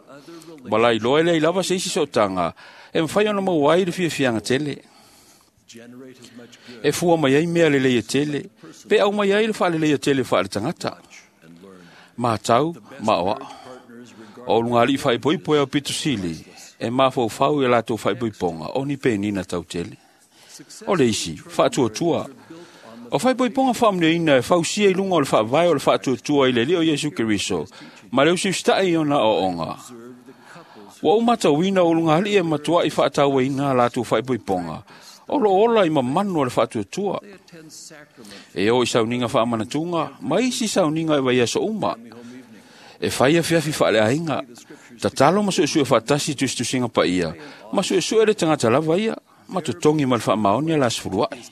Ua la iloa e leai lava se isi sootaga e mafai ona maua ai le fiafiaga tele. E fua mai ai mea lelei e tele, pe au mai ai le faaleleia tele faaletagata. Matau ma aoao. O ulugalii faaipoipo e aupito sili, e mafaufau i latou faaipoipoga o ni penina tautele. O le isi, faatuatua. O faaipoipoga faamanuiaina e fausia i luga o le faavae o le faatuatua i le Alii o Iesu Keriso, ma le usiusitai i ona aoaoga. Ua ou matauina o ulugalii e matuai faatauaina a latou faaipoipoga, o loo ola i mamanu o le faatuatua. E o i sauniga faamanatuga ma isi sauniga e vaiaso uma. E fai afiafi faaleaiga, tatalo ma suesue faatasi i tusitusiga paia, ma suesue le tagata lava ia, ma totogi ma le faamaoni a la 10 ai.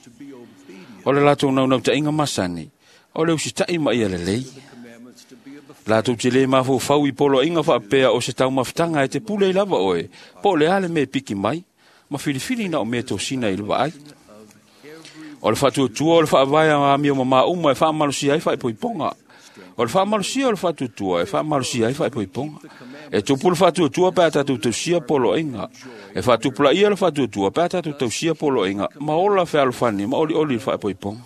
O le latou naunautaiga masani, o le usitai ma ia lelei. Latou te le mafaufau i poloaiga faapea o se taumafataga e te pule ai lava oe, po o le a le mea e piki mai, ma filifili na o mea tosina i le vaai. O le faatuatua o le faavae a amio mamā uma e faamalosia ai faaipoipoga. O le faamalosia o le faatuatua e faamalosia ai faaipoipoga. E tupu le faatuatua pe a tatou tausia poloaiga. E faatupulaia le faatuatua pe a tatou tausia poloaiga ma ola fealofani ma olioli le faaipoipoga.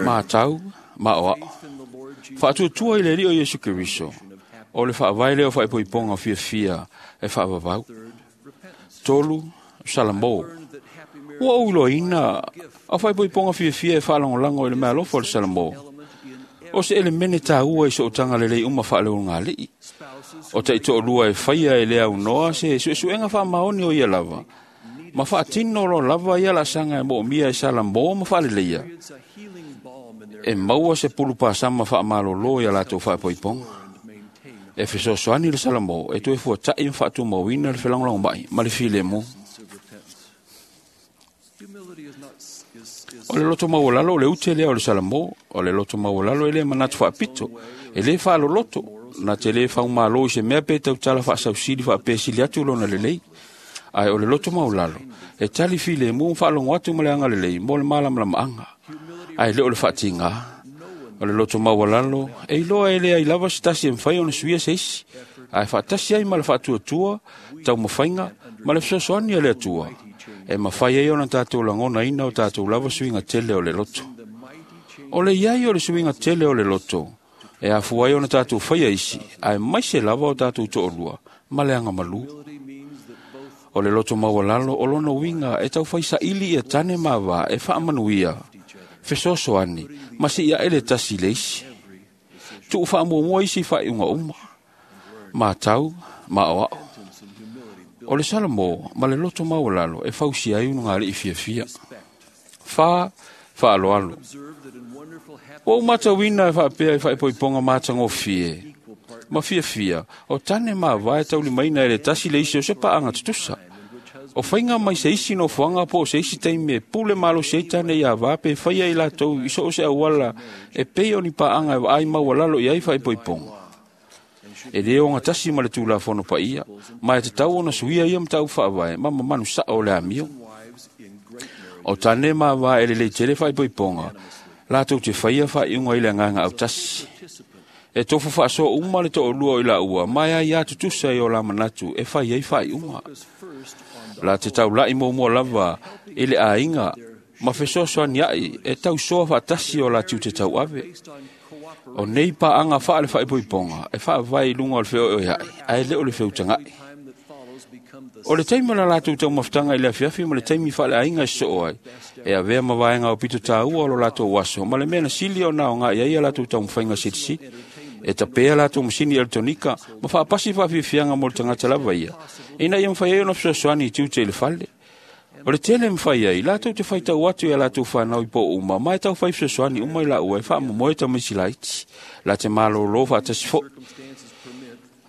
Matau ma aoao. Faatuatua i le Alii o Iesu Keriso, o le faavae lea o faaipoipoga fiafia e faavavau. 3, Salamo. Ua ou iloaina a faaipoipoga fiafia e faalagolago i le meaalofa o le Salamo. O se elemene tāua i sootaga lelei uma faaleulugalii. O taitoalua e faia e le aunoa se suesuega faamaoni o ia lava, ma faatino loa lava ia laasaga e moomia e Salamo ma faaleleia. E maua se pulupasama faamalolo ia latou faaipoipoga. E fesoasoani le Salamo e toe fuata'i ma faatumauina le felagolagomai ma le filemu. O le loto maualalo o le ute lea o le Salamo, o le loto maualalo e le manatu faapito, e le faaloloto, na te le faumalo i se mea pe tautala faasausili faapesili atu lona lelei. Ae o le loto maualalo, e tali filemu ma faalogo atu ma le agalelei mo le malamalamaaga, ae le o le faatigā. O le loto maualalo, e iloa e leai lava se tasi e mafai ona suia se isi, ae faatasi ai ma le faatuatua, taumafaiga ma le fesoasoani a le Atua, e mafai ai ona tatou lagonaina o tatou lava suiga tele o le loto. O le iai o le suiga tele o le loto, e afua ai ona tatou faia isi, ae maise lava o tatou toalua ma le agamalu. O le loto maualalo o lona uiga e taufai saili ia tane ma avā e faamanuia, fesoasoani ma siiae le tasi i le isi. Tuu faamuamua isi faaiuga uma. Matau ma aoao. O le Salamo ma le loto maualalo e fausia ai ulugalii fiafia. 4. Fa'aloalo. Ua ou matauina e fa'apea i fa'aipoipoga matagofie ma fiafia o tane ma avā e taulimaina e le tasi le isi o se pa'aga tutusa. O faiga mai se isi nofoaga po o se isi taimi e pule malosi ai tane ia avā pe faia i latou i so o se auala e pei o ni pa'aga e vaai maualalo i ai fa'aipoipoga. E lē ogatasi ma le tulafono paia, ma e tatau ona suia ia mataupu fa'avae ma mamanu sa'o o le amio. O tane ma avā e lelei tele fa'aipoipoga, latou te faia fa'aiuga i le agaga autasi. E tofu fa'asoa uma le to'alua o i la'ua, ma e aiā tutusa i o la manatu e fai ai fa'aiuga. La te taula'i muamua lava i le aiga ma fesoasoani a'i e tausoa fa'atasi o la tiute tau'ave. O nei pa'aga fa'ale fa'aipoipoga e fa'avae i luga o le feoeoea'i, ae lē o le feutaga'i. O le taimi o la latou taumafataga i le afiafi ma le taimi fa'aleaiga e sosoo ai, e avea ma vaega o pito tāua o lo latou aso ma le mea na sili ona aoga'i ai a latou taumafaiga silisili. E tapea latou masini elektronika ma fa'apasi fa'afiafiaga mo le tagata lava ia, ina ia mafai ai ona fesoasoani i tiute i le fale. O le tele mafai ai, latou te faitau atu i a latou fanau i po uma, ma e taufai fesoasoani uma i la'ua e fa'amomoe tamaiti laiti, la te malōlō fa'atasi fo'i.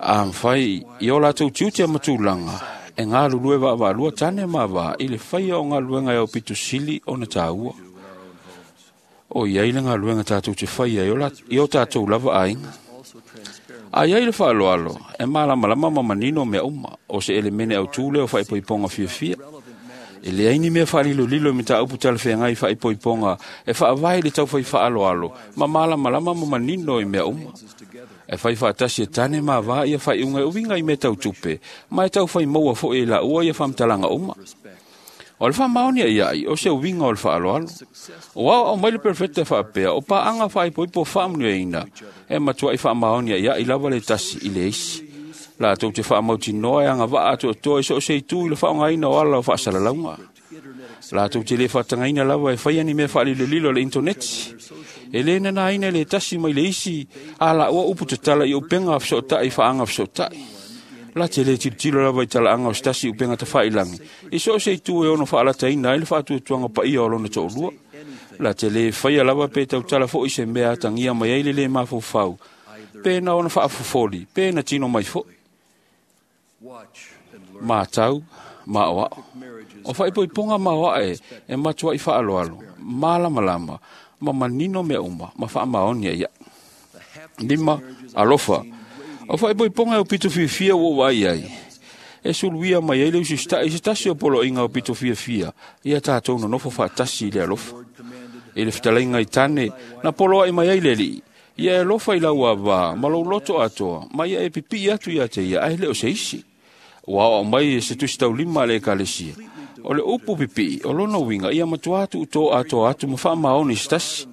A mafai i o latou tiute ma tulaga, e galulue va'ava'alua tane ma avā i le faia o galuega e aupito sili ona tāua. O iai le galuega tatou te faia i o tatou lava aiga. A iai le fa'aloalo, e malamalama ma manino mea uma, o se elemene autū lea o fa'aipoipoga fiafia. E leai ni mea fa'alilolilo i mataupu talafeagai fa'aipoipoga e fa'avae i le taufai fa'aloalo ma malamalama ma manino i mea uma. E fai fa'atasi e tane ma avā ia fa'aiuga e uiga i mea tautupe, ma e taufai maua fo'i e la'ua ia fa'amatalaga uma. O le fa'amaoni a'ia'i o se uiga o le fa'aloalo. O aoa'o mai le perofeta e fa'apea o pa'aga fa'aipoipo fa'amanuiaina e matua'i fa'amaoni a'ia'i lava le tasi i le isi. Latou te fa'amautinoa e agava'a atoatoa i so o se itū i le fa'aogaina o ala o fa'asalalauga. Latou te lē fa'atagaina lava e faia ni mea fa'alilolilo le intoneti. E lē nanāina i le tasi mai le isi a la'ua upu tatala i upega feso'ota'i fa'aga feso'ota'i. La te lē tilotilo lava i tala'aga o se tasi upega tafa'ilagi i so o se itū e ono fa'alataina ai le fa'atuatuaga paia o lona to'alua. La te lē faia lava pe tautala fo'i se mea atagia mai ai le lē mafaufau, pe na ona fa'afofoli, pe na tino mai fo'i. Matau, ma'oa'o. O fa'aipoipoga maoa'e e matua'i fa'aloalo, malamalama, ma manino mea uma, ma fa'amaoni a'ia'i. 5. Alofa. O fa'aipoipoga e aupito fiafia ua ou vaai ai, e suluia mai ai le ususita'i i se tasi o polo'iga o pito fiafia, ia tatou nonofo fa'atasi i le alofa. I le fetalaiga i tane, na poloa'i mai ai le Ali'i, ia e alofa i lau avā ma lou loto atoa, ma ia e pipi'i atu ia te ia, ae lē o se isi. Ua aoa'o mai e se tusi taulima a le ekalesia. O le upu pipi'i, o lona uiga ia matuā tu'utō atoa atu ma fa'amaoni se tasi.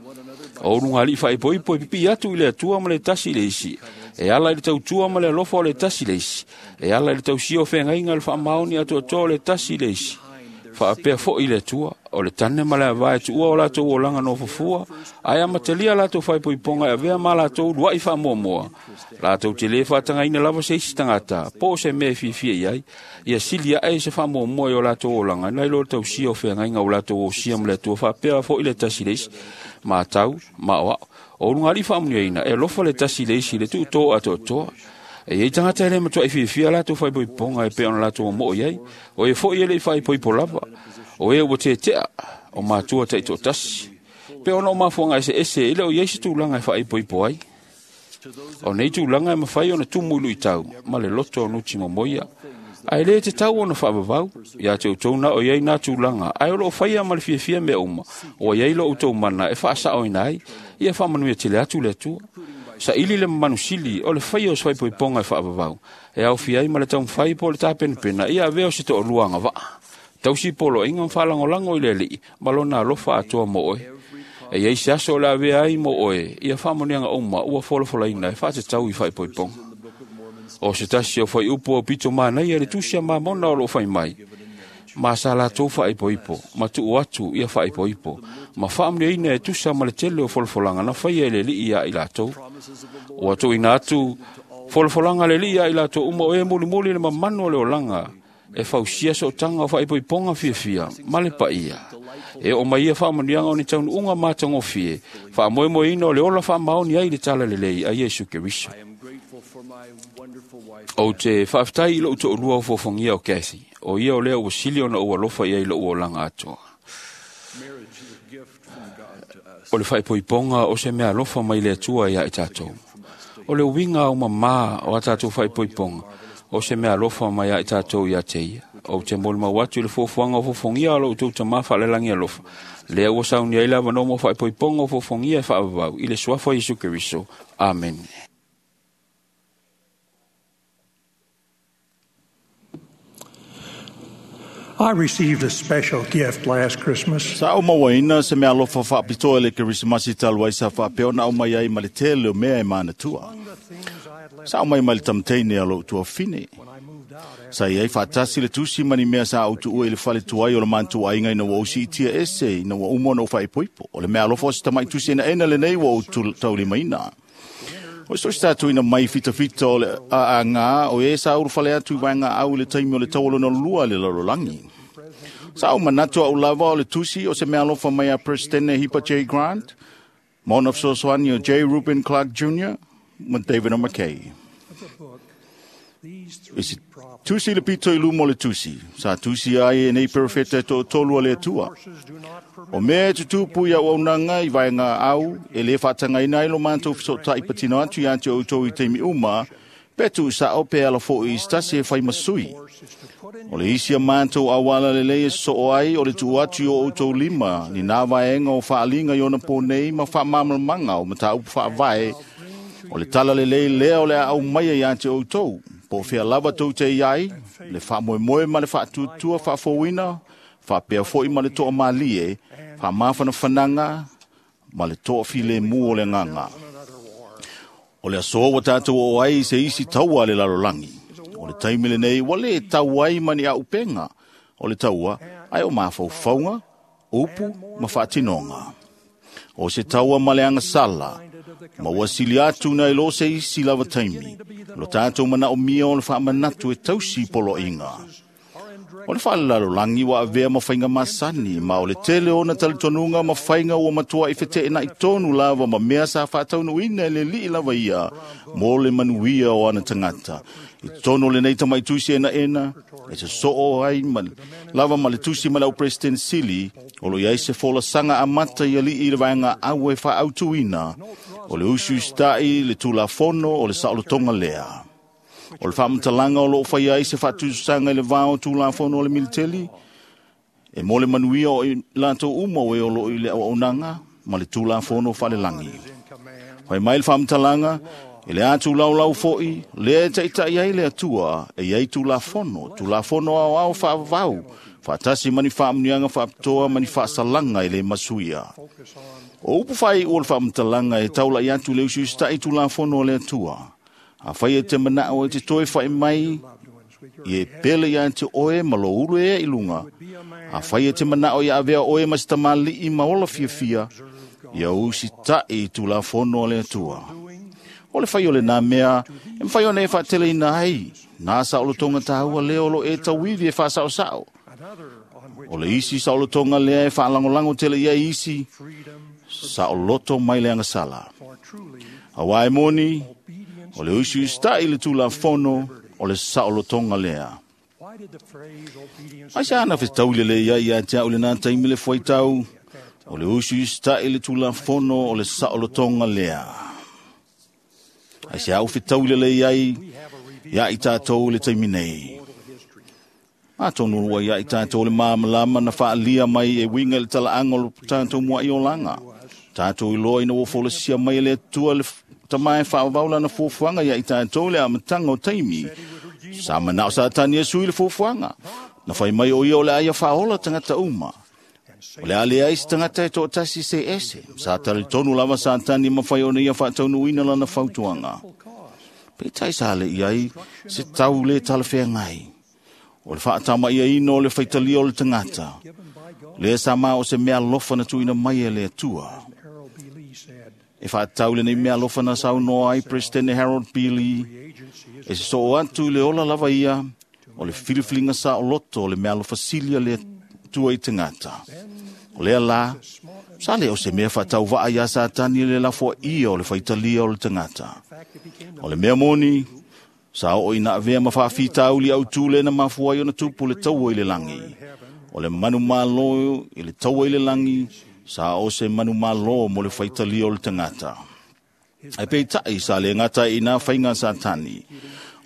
O ulugalii fa'aipoipo e pipi'i atu i le Atua ma le tasi i le isi, e ala i le tautua ma le alofa o le tasi i le isi, e ala i le tausia o feagaiga le fa'amaoni atoatoa o le tasi i le isi. Fa'apea fo'i le Atua, o le tane ma le avā e tu'ua o latou olaga nofofua, ae amatalia latou fa'aipoipoga e avea ma latou ulua'i fa'amuamua. Latou te lē fa'atagaina lava se isi tagata, po o se mea e fiafia i ai, ia sili a'e i se fa'amuamua i o latou olaga, nai lo le tausia o feagaiga o latou osia ma le Atua fa'apea fo'i le tasi i le isi. Matau, ma'oa'o. O ulugalii fa'amanuiaina e alofa le tasi i le isi i le tu'utō atoatoa. E iai tagata e lē matua'i fiafia latou fa'aipoipoga e pei ona latou mo'o i ai, o e fo'i e le'i fa'aipoipo lava, o e ua tete'a, o matua ta'ito'atasi. Pe ona o mafuaga eseese e lē o iai se tulaga e fa'aipoipo ai. O nei tulaga e mafai ona tumu i lu'itau ma le loto o nuti momoia. Ae lē tatau ona fa'avavau, ia te outou na o iai nā tulaga, ae o lo'o faia ma le fiafia mea uma, ua iai lo outou mana e fa'asa'oina ai, ia fa'amanuia tele atu le Atua. Sa'ili le mamanu sili o le faia o se faipoipoga e fa'avavau, e aofia ai ma le taumafai po o le tapenapena ia avea o se to'alua agava'a. Tausi poloaiga ma fa'alagolago i le Ali'i ma lona alofa atoa mo oe. E iai se aso o le avea ai mo oe ia fa'amanuiaga uma ua folafolaina e fa'atatau i fa'aipoipoga. O se tasi o faiupu o pito manaia le tusi a Mamona o lo'o fai mai, ma sa latou fa'aipoipo, ma tu'u atu ia fa'aipoipo, ma fa'amanuiaina e tusa ma le tele o folafolaga na faia e le Ali'i ia i latou. Ua tu'uina atu folafolaga a le Ali'i ia i latou uma o e mulimuli le mamanu o le olaga, e fausia so'otaga o fa'aipoipoga fiafia ma le paia. E o mai ia whaamanuiaga o ni taunuuga matagofie, faamoemoeina o le ola faamaoni ai le talalelei a Iesu Keriso. Ou te faafetai i lou toalua o fofogia o Kathy, o ia o lea ua sili ona ou alofa i ai i lou olaga atoa. O le faaipoipoga o se mea alofa mai le Atua ia i tatou. O le uiga au mamā o a tatou faaipoipoga, o se mea alofa mai ia i tatou ia te ia. Ou te molimau atu i le fuafuaga o fofogia o lo outou tamā faalelagi alofa, lea ua saunia ai le avanoa mo faaipoipoga o fofogia e faavavau i le suafa o Iesu Keriso. Amene. I received a special gift last Christmas. Sa o mauaina se mea alofa faapitoa i le Kerisimasi talu ai sa faapea ona aumai ai ma le tele o mea e manatua. Sa aumai mai le tamteine a lou tuafine. Sa i ai faatasi le tusi ma ni mea sa ou tuua i le fale tuai o le mantuaiga ina ua ou siitia ese ina ua uma ona ou faaipoipo. O le mea alofa o se tamai tusi enaena lenei ua ou taulimaina. O se tosi tātou mai fitafita o le aaga o e sa ulufale atu i vaega au i le taimi o le taualona lua le lalolagi. Sa ou manatu au lava o le tusi o se mea alofa mai a Presidente Hipa J. Grant, ma ona fesoasoani o J. Reuben Clark Jr. ma David O. McKay. I se tusi le pito i luma o le tusi, sa tusi ai e nei perofeta e toatolu a le Atua. O mea e tutupu i au aunaga i vaega au, e le faatagaina ai lo matou feso'ota'i patino atu ia te outou i taimi uma, pe tuusa'o pe ala fo'i i se tasi e fai ma sui. O le isi a matou auala lelei e sosoo ai o le tuu atu i o outou lima ni nā vaega o faaliga i ona pō nei ma faamalamalamaga o mataupu faavae, o le tala lelei lea o le a aumaia ia te outou, po o fea lava tou te i ai, le faamoemoe ma le faatuatua faafouina, faapea foi ma le toamalie, faamafanafanaga ma le toafilemu o le agaga. O le aso ua tatou oo ai i se isi taua a le lalolagi. O le taimi lenei ua lē tau ai ma ni auupega o le taua, ae o mafaufauga, upu ma faatinoga. O se taua ma le agasala, ma ua sili atu nai lo se isi lava taimi, lo tatou manaomia o le faamanatu e tausi poloaiga. O le faalelalolagi ua avea ma faiga masani, ma o le tele ona talitonuga ma faiga ua matuai feteenai tonu lava ma mea sa faataunuuina e le alii lava ia mo le manuia o ana tagata. I totonu o lenei tamaitusi enaena, e sosoo ai ma, lava ma le tusi ma le au President Sili, o lo i ai se folasaga amata i alii i le vaega au e faaautuina, o le usiusita'i le Tulafono o le saolotoga lea. O le faamatalaga o loo faia ai se faatusaga i le va o Tulafono o le Militeli, e mo le manuia o i latou uma o e o loo i le auaunaga ma le Tulafono faalelagi. Fai mai le faamatalaga, e le atulaulau fo'i, lea e taita'i ai le Atua, e i ai Tulafono, Tulafono aoao faavavau, faatasi ma ni faamanuiaga faapitoa ma ni faasalaga e le masuia. O upu faaiu o le faamatalaga e taula'i atu i le usiusita'i Tulafono a le Atua. A fai e te manao e te toe fai mai, i e pele ia te oe ma lo ulu e i lunga. A fai e te manao i avea oe ma se tamali'i ma ola fiafia, ia usita'i i Tulafono a le Atua. O le fai o le nā mea, e mawhai ona e whaateleina ai, nā saolotoga tāua lea o lo e tauivi e whaasaosao. O le isi saolotoga lea e whaalangolango tele ia isi, saoloto mai le agasala. Auā e moni, o le usiusita'i le Tulafono o le saolotoga lea. Ai sa ana fetaui lelei ai ia te au i lenā taimi le fuaitau, o le usiusita'i le Tulafono o le saolotoga lea. Ai se au fetaui lelei ai ia i tatou i le taimi nei. Atonu ua ia i tatou le malamalama na faalia mai e uiga i le talaaga o le tatou mua'i olaga. Tatou iloa ina ua folasia mai e le Atua le tama e faavavau lana fuafuaga ia i tatou i le amataga o taimi. Sa manao Satani e sui le fuafuaga. Na fai mai o ia o le a ia faaola tagata uma. O le a leai se tagata e toatasi se ese. Sa talitonu lava Satani e mafai ona ia faataunuuina lana fautuaga. Peitai sa le i ai se tau le talafeagai. O le faatamaiaina o le faitalia o le tagata. Lea sa ma o se mea alofa na tuuina mai e le Atua. E faatatau lenei mea alofa na saunoa ai Presidente Harold B. Lee, e sosoo atu i le ola lava ia o le filifiliga saoloto o le mea alofa sili a le Atua i tagata. O lea la, sa le o se mea whaatauvaa ia Satani le lafoa ia o le whaitalia o le tangata. O le mea moni, sa o ina avea ma whaafitauli au tūle na mafua i ona tupu le taua i le langi. O le manu malo i le taua i le langi, sa o se manu malo mo le whaitalia o le tangata. Ai peitai sa le ngata i nā whainga Satani.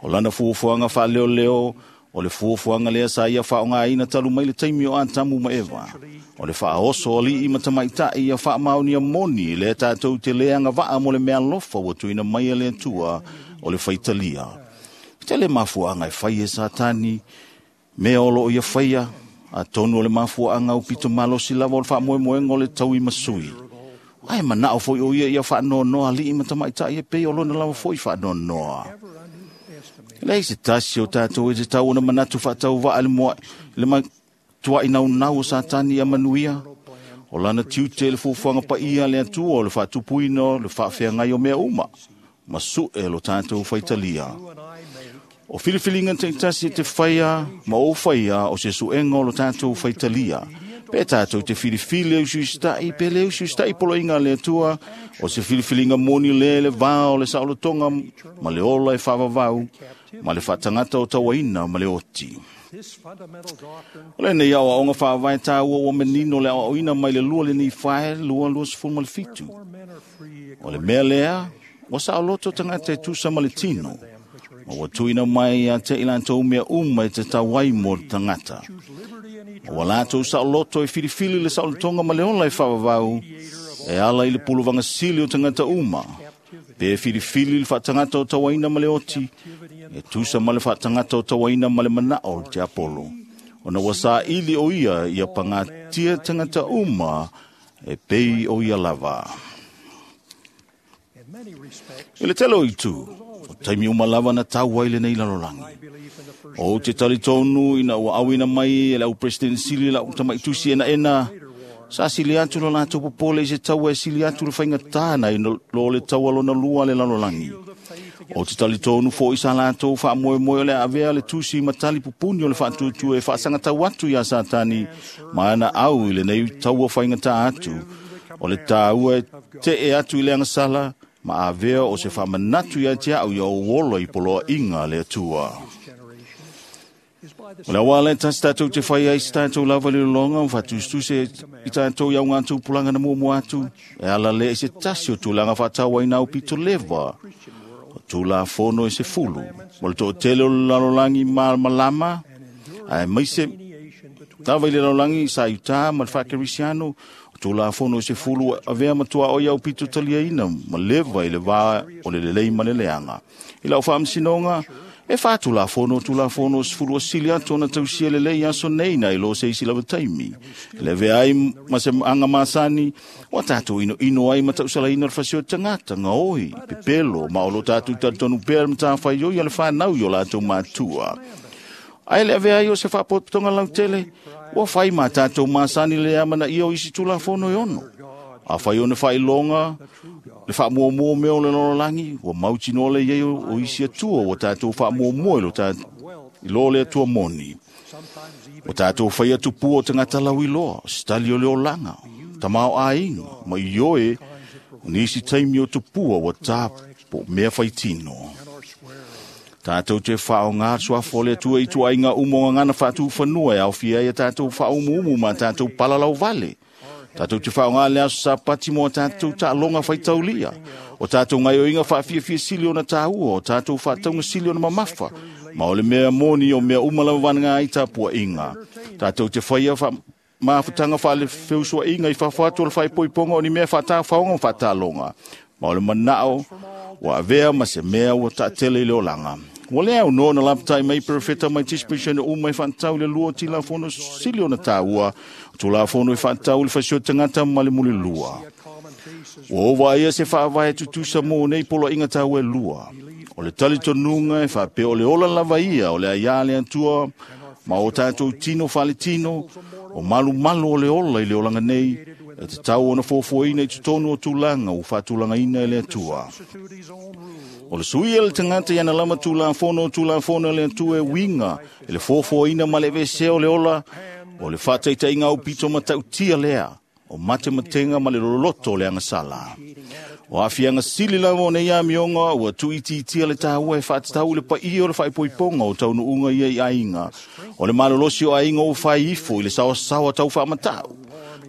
O lana fuafuaga faaleoleo, o le fuafuaga lea sa ia faaaogaina talu mai le taimi o Atamu ma Eva. O le faaoso ali'i ma tamaita'i ia faamaonia moni lea tatou te le agavaa mo le meaalofa ua tuuina mai e le Atua o le faitalia. Tele mafuaaga e fai e Satani, mea o loo ia faia, atonu o le mafuaaga aupito malosi lava o le faamoemoega o le tauimasui. Ae manao foi o ia ia faanoanoa ali'i ma tamaita'i e pei o lona lava foi faanoanoa. Leai se tasi o tatou e te tau ona manatu faatauvaa le moa le matuai naunau o Satani ia manuia. O lana tiute le fuafuaga paia le Atua o le faatupuina o le faafeagai o mea uma, ma su'e lo tatou faitalia. O filifiliga taitasi e te faia ma ou faia o se suega o lo tatou faitalia. Pe tātou te filifili e usuista'i, pe le usuista'i poloiga a le Atua, o se filifiliga moni le le vā o le saolotoga ma le ola e faavavau, ma le faatagata o tauaina ma le oti. O lenei aoaoga faavae tāua ua manino le aoaoina mai le 2 lenei fae 2:27. O le mea lea, ua saoloto tagata e tusa ma le tino, ma ua tuuina mai ia te i latou mea uma e tatau ai mo le tagata. Ma ua latou saoloto e filifili le saolotoga ma le ola e faavavau, e ala i le puluvaga sili o tagata uma, pe filifili le faatagata o tauaina ma le oti, e tusa ma le faatagata o tauaina ma le manao o le tiapolo. Ona ua saili o ia ia pagatia tagata uma e pei o ia lava. I le tele o itu, o taimi uma lava na tau ai lenei lalolagi. O te talitonu ina ua auina mai e le au president sili la tamaitusi enaena, sa sili atu lo latou popole i se taua e sili atu le faigata nai lo le taua lona lua le lalolagi. O te talitonu foi sa latou faamoemoe o le avea le tusi ma tali pupuni o le faatuatua e faasagatau atu iā Satani ma ana au i lenei taua faigata atu. O le tāua e tee atu i le agasala, ma avea o se faamanatu ia te au ia ou ola i poloaiga a le Atua. O le auala e tasi tatou te fai ai se tatou lava le lologa o faatusitusi i tatou i au gatou pulaga na muamua atu, e ala lea i se tasi o tulaga faatauaina aupito leva, o Tulafono e 10, mo le toatele o le lalolagi malamalama, ae maise lava i le lalolagi sa i utā ma le faakerisiano, o Tulafono e 10 avea matua o i aupito taliaina ma leva i le vā o le lelei ma le leaga. I lau faamasinoga, e whātulafono tulafono 10 asili atu ona tausia lelei aso nei nai lo se isi lava taimi. Le vea ai ma se anga masani, wa tātou ino ino ai ma tausalaina le fasio tangata, ngā oi, pepelo, ma o lo tātou talitonu pea le matawhai oi a le whanau i o lātou mātua. Ai le avea ai o se whaapotopotonga lautele, ua whai mā tātou masani le amana ia o isi tulafono e ono. A whai o ne whailonga, le whaamuamua mea o le lololangi, ua mautinoa le iei o isi atua, ua tātou whaamuamua i lo le atua moni. Ua tātou whai atu pua o tangata lau i loa, stali o le olanga, tamao āinga, ma i oe, o nisi taimi o tupua ua tāpo mea whaitino. Tātou te whaonga suafo le atua i tuainga umonga ngana whaatuwhanua e awhia ia tātou whaumuumu ma tātou palalau vale. Tātou te whaonga le aso sa pati mo tātou tālonga whaitaulia. O tātou ngaioinga whaafiafia sili ona tāua, o tātou whaataunga sili ona mamafa. Ma o le mea moni o mea umalawa vanga ai tāpua inga. Tātou te whaia mafutanga whaale feusua inga i whawhatu o le whaipoiponga o ni mea whaatāwhaonga o whaatālonga. Ma o le manao, ua avea ma se mea ua taatele i le olanga. Ua lea au noa na lapatai mai perefeta mai tispishen o umai whaatau le lua tila fono sili ona tāua, o tula fono i whaatau le fasio tangata ma le muli lua. Ua ova ia se whaavae tutusa mō nei polo inga tāua e lua. O le talitonunga e whaapea o le ola lava ia o le aia le atua, ma o tātou tino whale tino, o malu malu o le ola i le olanga nei, e te tau ona fōfōina i tutonu o tūlanga o whaatulanga ina e le atua. O le sui ele tangata i ana lama tulafono tulafono le atua e winga, e le fōfōina ma le vese o le ola, o le whataitaiga au pito matautia lea. o matematenga ma le loloto o le agasala. O aafiaga sili lava o nei amioga ua tuuitiitia le tāua e faatatau i le paia o le faaipoipoga o taunuuga ia i aiga. O le malolosi o aiga ua fai ifo i le saoasaoa tau faamatau.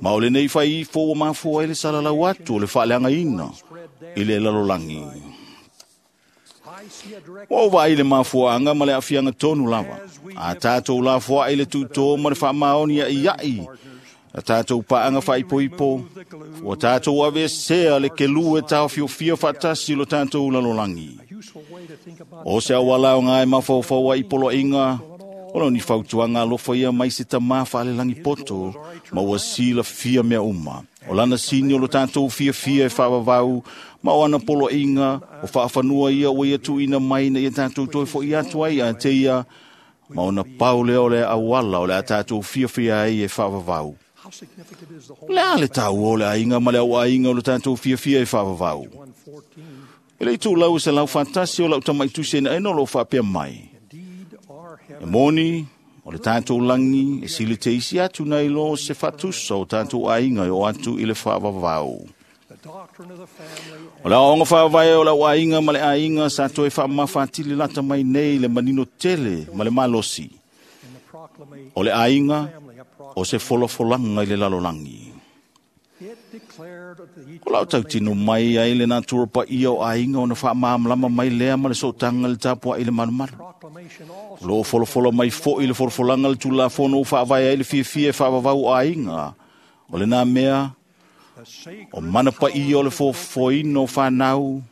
Ma o lenei fai ifo ua mafua ai le salalau atu o le faaleagaina i le lalolagi. Ua ou vaai i le mafuaaga ma le aafiaga tonu lava. A tatou lafoai le tutō ma le faamaoni aiai a tatou paaga faaipoipo, ua tatou aveesea le kelu e taofiofia faatasi lo tatou lalolagi. O se auala aoga e mafaufau ai i poloaiga, o lo ni fautuaga alofa ia mai se tamā faalelagi poto, ma ua silafia mea uma. O lana sini o lo tatou fiafia e faavavau, ma o ana poloaiga, o faafanua ia ua ia tuuina mai ina ia tatou toe fo'i atu ai a te ia, ma ona pau lea o le auala o le a tatou fiafia ai e faavavau. O le a le taua o le aiga ma le auaiga o lo tatou fiafia e faavavau? E le itulau e 101 o lau tamaitusi enaena o loo faapea mai. E moni, o le tatou lagi e sili te isi atu nei lo se faatusa o tatou aiga e o atu i le faavavau. O le aoaoga faavae o le auaiga ma le aiga sa toe faamafatili lata mai nei le manino tele ma le malosi. O le aiga o se folafolaga i le lalolagi. O lau tautino mai ai le natura paia o aiga ona faamalamalama mai lea ma le sootaga le tapuai le malumalu. O loo folafola mai fo'i le folafolaga le Tulafono ua faavae ai le fiafia e faavavau o aiga. O lena mea o mana paia o le fofoina o fanau,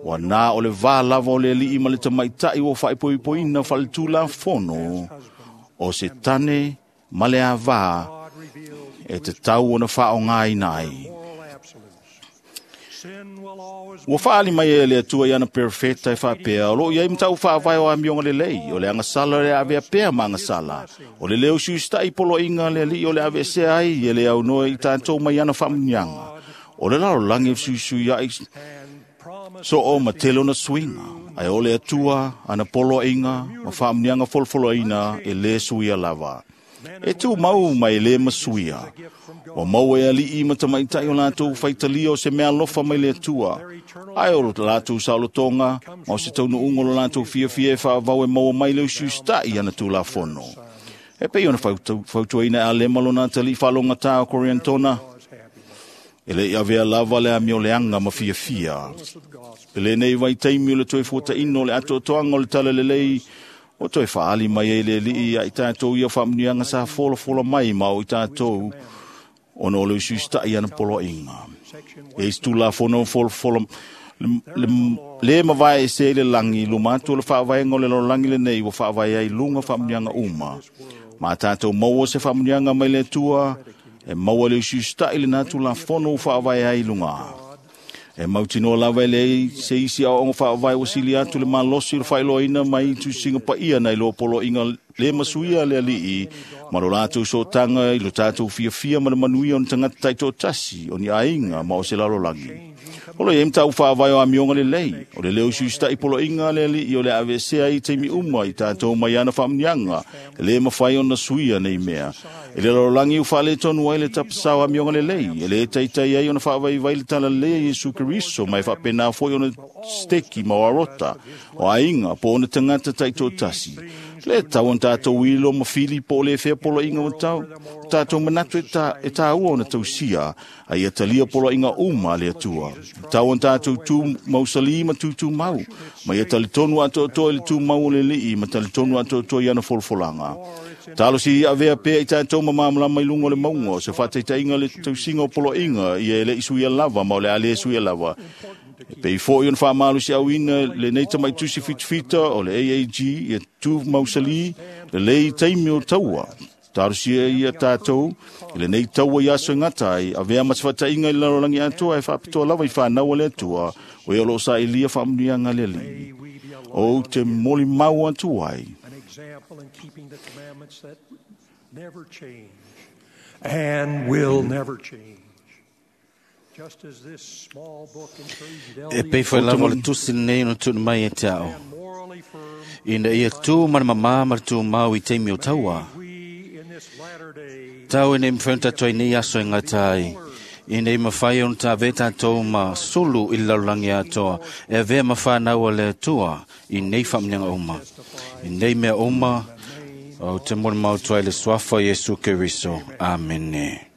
ua na o le vā lava o le alii ma le tamaitai ua faaipoipoina faaletulafono o se tane ma le avā e tatau ona faaaogaina ai. Ua faaali mai e le Atua i ana perofeta e faapea, o loo i ai matau faavae o amioga lelei, o le agasala le avea pea ma agasala, o le leo siusitai poloaiga le alii o le aveesea ai e le aunoa i tatou mai ana faamuniaga. O le lalolagi e fesuisuiai soo ma tele ona suiga, ae o le Atua ana poloaiga ma faamuniaga folofoloaina e lē suia lava. E tū mau mai le masuia. Ua maua e alii ma tamaitai o latou faitalia o se mea alofa mai le Atua. Ae o latou saolotoga, ma o se taunuuga o lo latou fiafia e faavavau e maua mai le usiusitai ana Tulafono. E pei ona fautuaina e Alema lona atalii faalogatā o Koriantona, e le i avea lava le amioleaga ma fiafia. I lenei vaitaimi o le toe fuataino o le atoatoaga o le talalelei, o toe faaali mai ai le alii ia i tatou ia faamuniaga sa folafola mai ma o i tatou ona o le usiusitai ana poloaiga. E isi Tulafono folafola le mavae ese i le lagi, luma atu o le faavaega o le lalolagi lenei ua faavae ai luga faamuniaga uma. Ma tatou maua se faamuniaga mai le Atua, e maua le usiusitai lena Tulafono ua faavae ai luga. E mautinoa lava e leai se isi aoaoga faavae ua sili atu le malosi o le faailoaina mai tusiga paia nai lo poloaiga le masuia le alii ma lo latou sootaga i lo tatou fiafia ma le manuia o ni tagata taitoatasi o ni aiga ma o se lalolagi. O lo i ai matau faavae o amioga lelei, o le leo usiusitai poloaiga le alii o le aveesea ai i taimi uma i tatou mai ana faamuniaga, e le mafai ona suia nei mea. E le lalolagi ua faaletonu ai le tapasao amioga lelei, e le taitai ai ona faavaivai le talalelei a Iesu Keriso, ma e faapena foi ona steki ma o arota, o aiga po o ona tagata taitoatasi. Le tau ona tatou ilo ma fili po o le fea poloaiga o tau, tatou manatu e tāua ona tausia, a ia talia poloaiga uma a le Atua. Tau ona tatou tū mausali ma tūtūmau, ma ia talitonu atoatoa i le tūmau o le alii ma talitonu atoatoa i ana folafolaga. Talosi ia avea pea i tatou ma malamalama i luga o le mauga o se faataitaiga le tausiga o poloaiga ia e le i suia lava ma o le a le suia lava. E pei foi ona faamalosi-auina lenei tamaitusi fitafita o le AAG ia tū mausali lelei i taimi o taua. Talosia ia tatou i lenei taua i aso e gata ai, avea ma se faataiga i le lalolagi atoa e faapitoa lava i fanau a le Atua, o ea o loo sailia faamuniaga a le Alii. Ou te molimau atu ai. And will never change. Just as this small book encouraged E pei foi lava o le tusi lenei ona tuuina mai e te ao. Ina ia tū ma le mamā ma le tūmau i taimi o taua. tatau e nei mawhai tātou i nei aso e ngata ai. I nei mawhai ona tā ve tātou ma sulu i le lalolagi atoa, e avea ma whānau a le Atua i nei whaamanianga uma. I nei mea uma, o te mole mautua i le suafa o Iesu Keriso. Amene.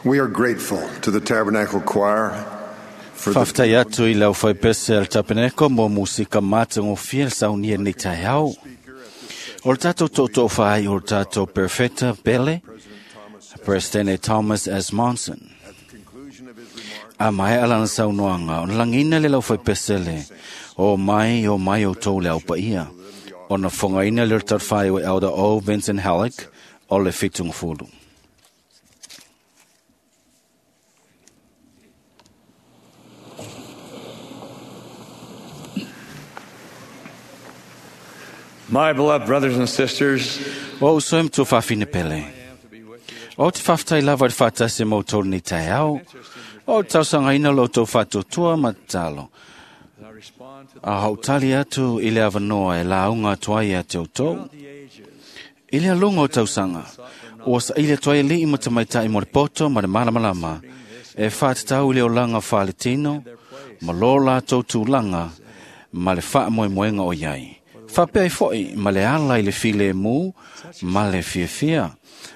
We are grateful to the Tabernacle Choir for the Faafetai atu i le aufaipese a le tapeneko mo musika matagofie le saunia nei taeao. O le tatou tootoo faai o le tatou perfeta pele, Presidente Thomas S. Monson. A mai alana saunoaga, ona lagiina le laufaipese le, o mai outou le aupaia. Ona fogaina le tarafai o Elder O. Vincent Halleck o le 70. My beloved brothers and sisters, O uso e matua faafine pele. O te faafetai lava i le faatasi ma outou lenei taeao. O te tausaga lo outou faatuatua ma tatalo. A hautali atu i le avanoa e lauga atu ai ia te outou. I le aluga o tausaga, ua saili atu ai alii ma tamaitai mo le poto ma le malamalama, e faatatau i le olaga faaletino, ma lo latou tulaga ma le faamoemoega o iai. Faapea ai foi ma le ala i le filemu ma le fiafia.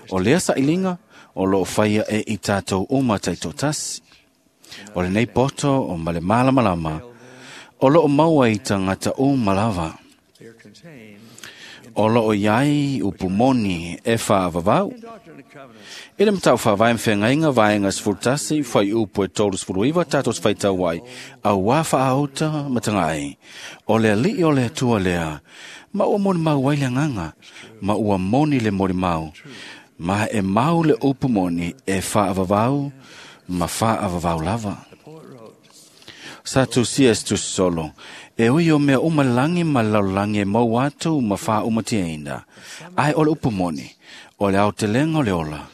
O lea sailiga o loo faia e i tatou uma taitoatasi. O lenei poto o ma le malamalama, o loo maua i tagata uma lava. O loo iai upu moni e faavavau. I le matau faavae ma feagaiga vaega 11 fuaiupu e 39 tatou te faitau ai, auā faaauta ma tagaai. O le alii o le Atua lea, ma ua molimau ai le agaga, ma ua moni le molimau, ma e mau le upu moni e faavavau ma faavavau lava. Sa tusia se tusi solo, e ui o mea uma le lagi ma le lalolagi e maua atu ma faaumatiaina, ae o le upu moni, o le aotelega o le ola,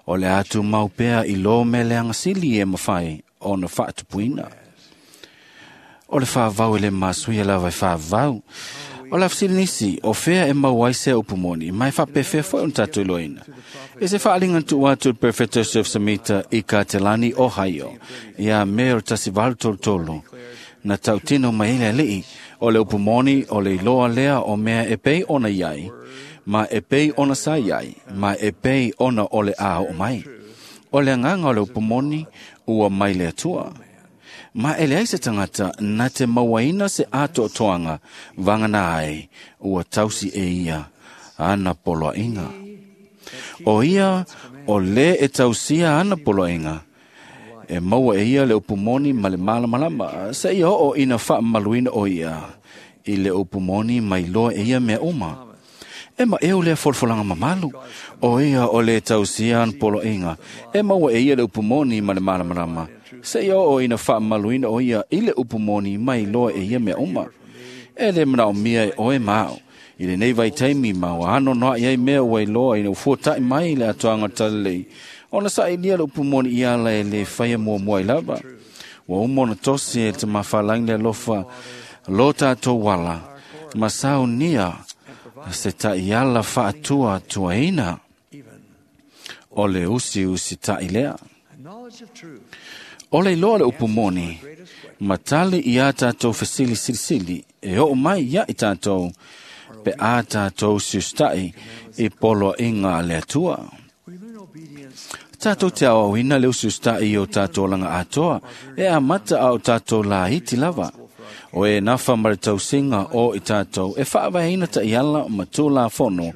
o le atu mau pea i lo mea leaga sili e mafai ona faatupuina. O le faavau e le masuia lava e faavau. O le afesili nisi, o fea e maua ai sea upu moni, ma e faapefea foi ona tatou iloaina. E se faaliga na tuu atu i le Perfecto Joseph Smith i Katelani, Ohio, ia Me o le 1833, na tautino mai ai le alii, o le upu moni o le iloa lea o mea e pei ona iai, ma e pei ona sa iai, ma e pei ona o le a oo mai. O le agaga o le upu moni ua mai le Atua. Ma e leai se tagata na te mauaina se atoatoaga vagana ai ua tausi e ia ana poloaiga. O ia o le e tausia ana poloaiga, e maua e ia le upu moni ma le malamalama, seia oo ina faamamaluina o ia i le upu moni mai loa e ia mea uma. E maeu lea folafolaga mamalu, o ia o le tausia ana poloaiga, e maua e ia le upu moni ma le malamalama, seia oo ina faamamaluina o ia i le upu moni mai loa e ia mea uma. E le manaomia e oe ma au, i lenei vaitaimi ma ua anoanoai ai mea ua iloa ina ua fuata'i mai le atoaga o le talalelei, ona sailia le upu moni i ala e lē faia muamua ai lava. Ua uma ona tosi e le tamafalagi le alofa lo tatou ala, ma saunia se ta'iala fa'atuatuaina o le usiusita'i lea. O le iloa le upu moni, ma tali iā tatou fesili silisili e oo mai ia'i tatou, pe a tatou usiusita'i i poloaiga a le Atua. Tatou te aoaoina le usiusita'i i o tatou olaga atoa, e amata a o tatou laiti lava. O e nafa ma le tausiga o i tatou e faavaeina ta'iala ma tulafono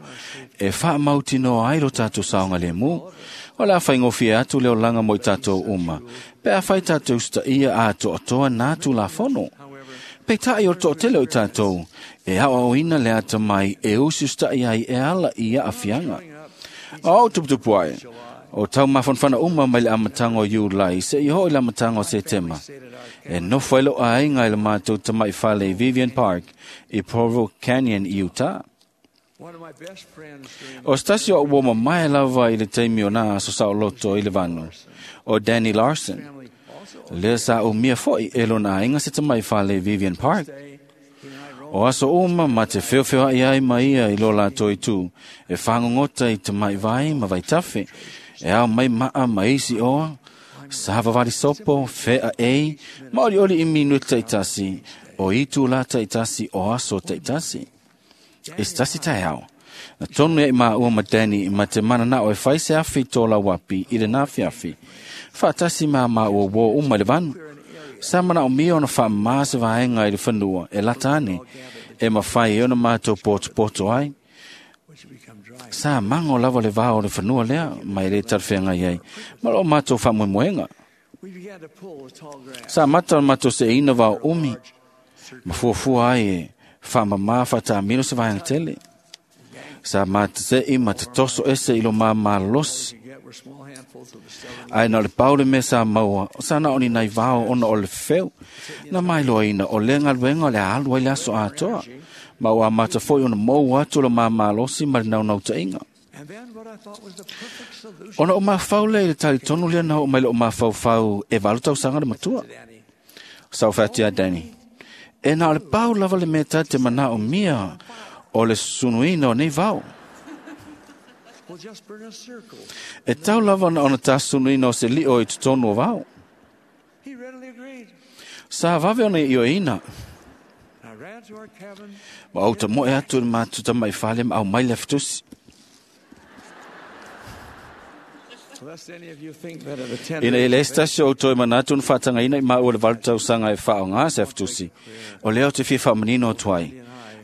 e faamautinoa ai lo tatou saogalemu. O le a faigofie atu le olaga mo i tatou uma, pe a fai tatou usitaia atoatoa nā tulafono. Peita'i o le toatele o i tatou, e aoaoina le atamai e usiusita'i ai e ala i aafiaga. O au tuputupu ae, o tau mafanafana uma mai le amataga o Iulai seia oo i le amataga o Setema. E nofo ai lou aiga i le matou tama'i fale i Vivian Park i Provo Canyon i Utah. O se tasi o a'u ua mamae lava i le taimi o nā aso saoloto i le vanu, o Danny Larson. Lea sa umia foi e lona aiga se tama'i fale i Vivian Park. O aso uma ma te feofeoa'i ai ma ia i lo latou itu, e fagogota i tama'i vai ma vaitafe, e ao mai maa ma isi oa, savavali sopo, fea ei, ma olioli i minuti ta'itasi, o itu la ta'itasi o aso ta'itasi. E se tasi taeao, Na tonu ia i maua ma Danny ma te mana na o e whai se awhi tō lau api i le nā whiawhi. Whaatasi mā maua wō uma le vanu. Sa mana o mia ona wha maa se vaenga i le whanua e latane e mawhai e ona mātou poto poto ai. Sa mango lava le vāo le whanua lea mai le tarwhenga iai. Ma lo mātou wha moemoenga. Sa mata o mātou se ina vāo umi. Ma fuafua ai e wha mamā wha se vaenga tele. Sa mata se i ma te toso ese i lo mā malosi. Ai na le paule me sa maua, sa na oni nai vao ona o le feu. Na mai loa ina o le ngaluenga o le alu ai le aso atoa. Ma ua mata foi ona mou atu lo mā malosi ma le naunau tainga. Ona o mawhau le i le tali tonu lea na o mai le o mawhau e valu tausaga le matua. Sa o whatia Danny. E na o le pau lava le mea te mana o mia o le sunuina o nei vao. E tau lava na ona tasunuina o se lio i totonu o vao. Sa vave ona i o ina. Ma au ta moe atu le mātu mai whale ma au mai le fitusi. Ina e le stasio o toi manatu na whaatanga ina i maua le valu tausaga e whao ngā se fitusi. O leo te fia whaamanino o tuai.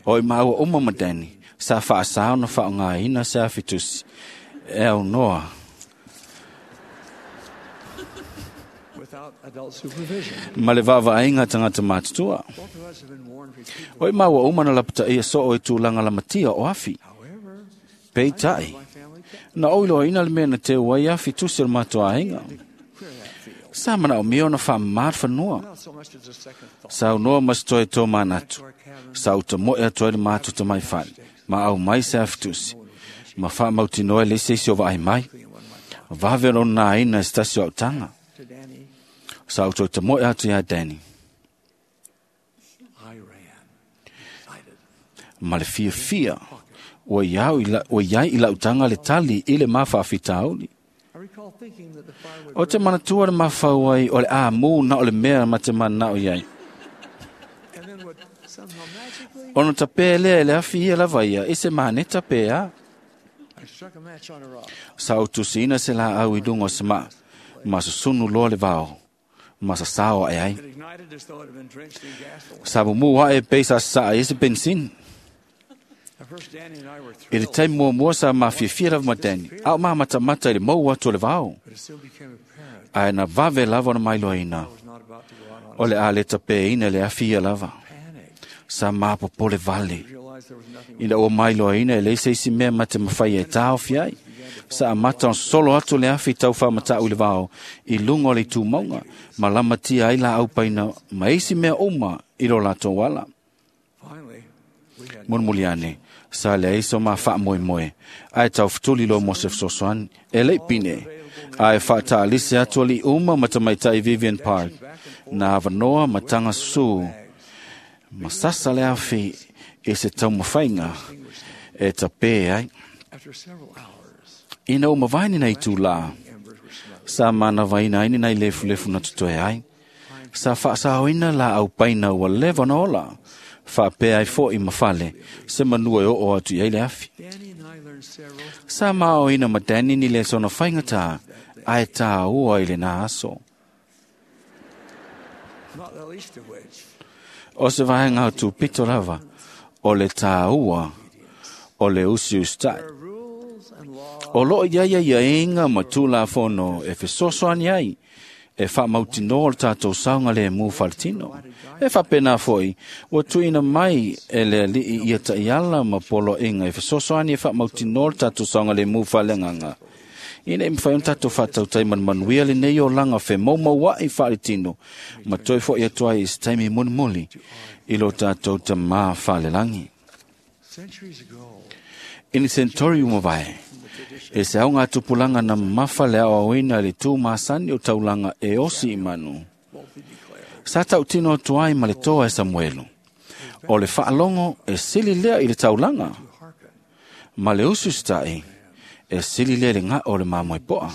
O i maua uma madani. Sa whaasao na whao ngā ina se fitusi. E au noa. Ma le vava ainga tangata mātutua. O i maua uma na lapata ia so o i tūlanga la matia o afi. Pei tai. Na oilo ina le mea na te wai afi tusi o le mātua ainga. Sa mana o mea ona wha maat whanua. Sa unoa mas toi tō mānatu. Sa uta moe atoa le mātu ta mai whale. Ma au mai se afi tusi. Ma wha mautinoa le se isi o vaai mai. Vave o nā ina e stasi o autanga. Sa uto ta moe atu ia Danny. Ma le fia fia. O iai i lautanga le tali i le mawhaafitauli. O te manatua le mawhau ai o le a mū na o le mea ma te mana o iai. Ono ta pē lea e le awhi ia lava ia, i se maneta pē a. Sa o tusina se la au i lunga o se maa, ma susunu loa le vao, ma sa sao ai ai. Sa mumu hae pei sa saa i se bensin. I le taimi muamua sa mafiafia lava ma Danny, a o mamatamata i le mau atu o le vao. Ae na vave lava ona mailoaina, o le a le tapeina le afi ia lava. Sa mapopole vale. Ina ua mailoaina e leai se isi mea ma te mawhai e tāofi ai. Sa amata on solo atu le afi tau whamatau i le vao i lunga o le tūmaunga, ma lamatia ai la aupaina ma isi mea uma i lo latou ala. Munmuliane, sa le aiso ma wha moe moe, ai tau futuli lo mo se fesoasoani, e lei pine, ai whaataalise atu ali uma matamaitai Vivian Park, na avanoa matanga susu, ma sasa le awhi e se taumawhainga e tapē ai. Ina o mawaini nei tū lā, sa mana waina aini nei lefu lefu na tutoe ai, sa whaasahoina la au paina ua lewa na ola, whaapea ai fo i mawhale, se manua e o atu i le afi. Sa mao ina ma Danny ni le sona whaingata, ai tā ua i le nā aso. O se vaenga o tūpito lava, o le tā ua, o le usi ustai. O loo ia ia ia inga ma tūla fono e fesoasoani ai, e whaamautinoa o le tātou saunga le mū whaletino. E whapena foi, ua tuina mai e le alii ia taiala ma polo inga e fesoasoani e whaamautinoa o le tātou saunga le mū whalenganga. Ina e mwhai on tātou whatautai man manuia le nei o langa whe maumau ai whaletino, ma toi foi atu ai i se taimi mulimuli i lo tātou ta mā whalelangi. Ini sentori umawai, e se au ngā tupulanga na mawha le au awina le tū māsani o taulanga e osi i manu. Sa tautino atu ai ma le toa e Samuelu. O le whaalongo e sili lea i le taulanga. Ma le usustai e sili lea le ngā o le māmoe poa.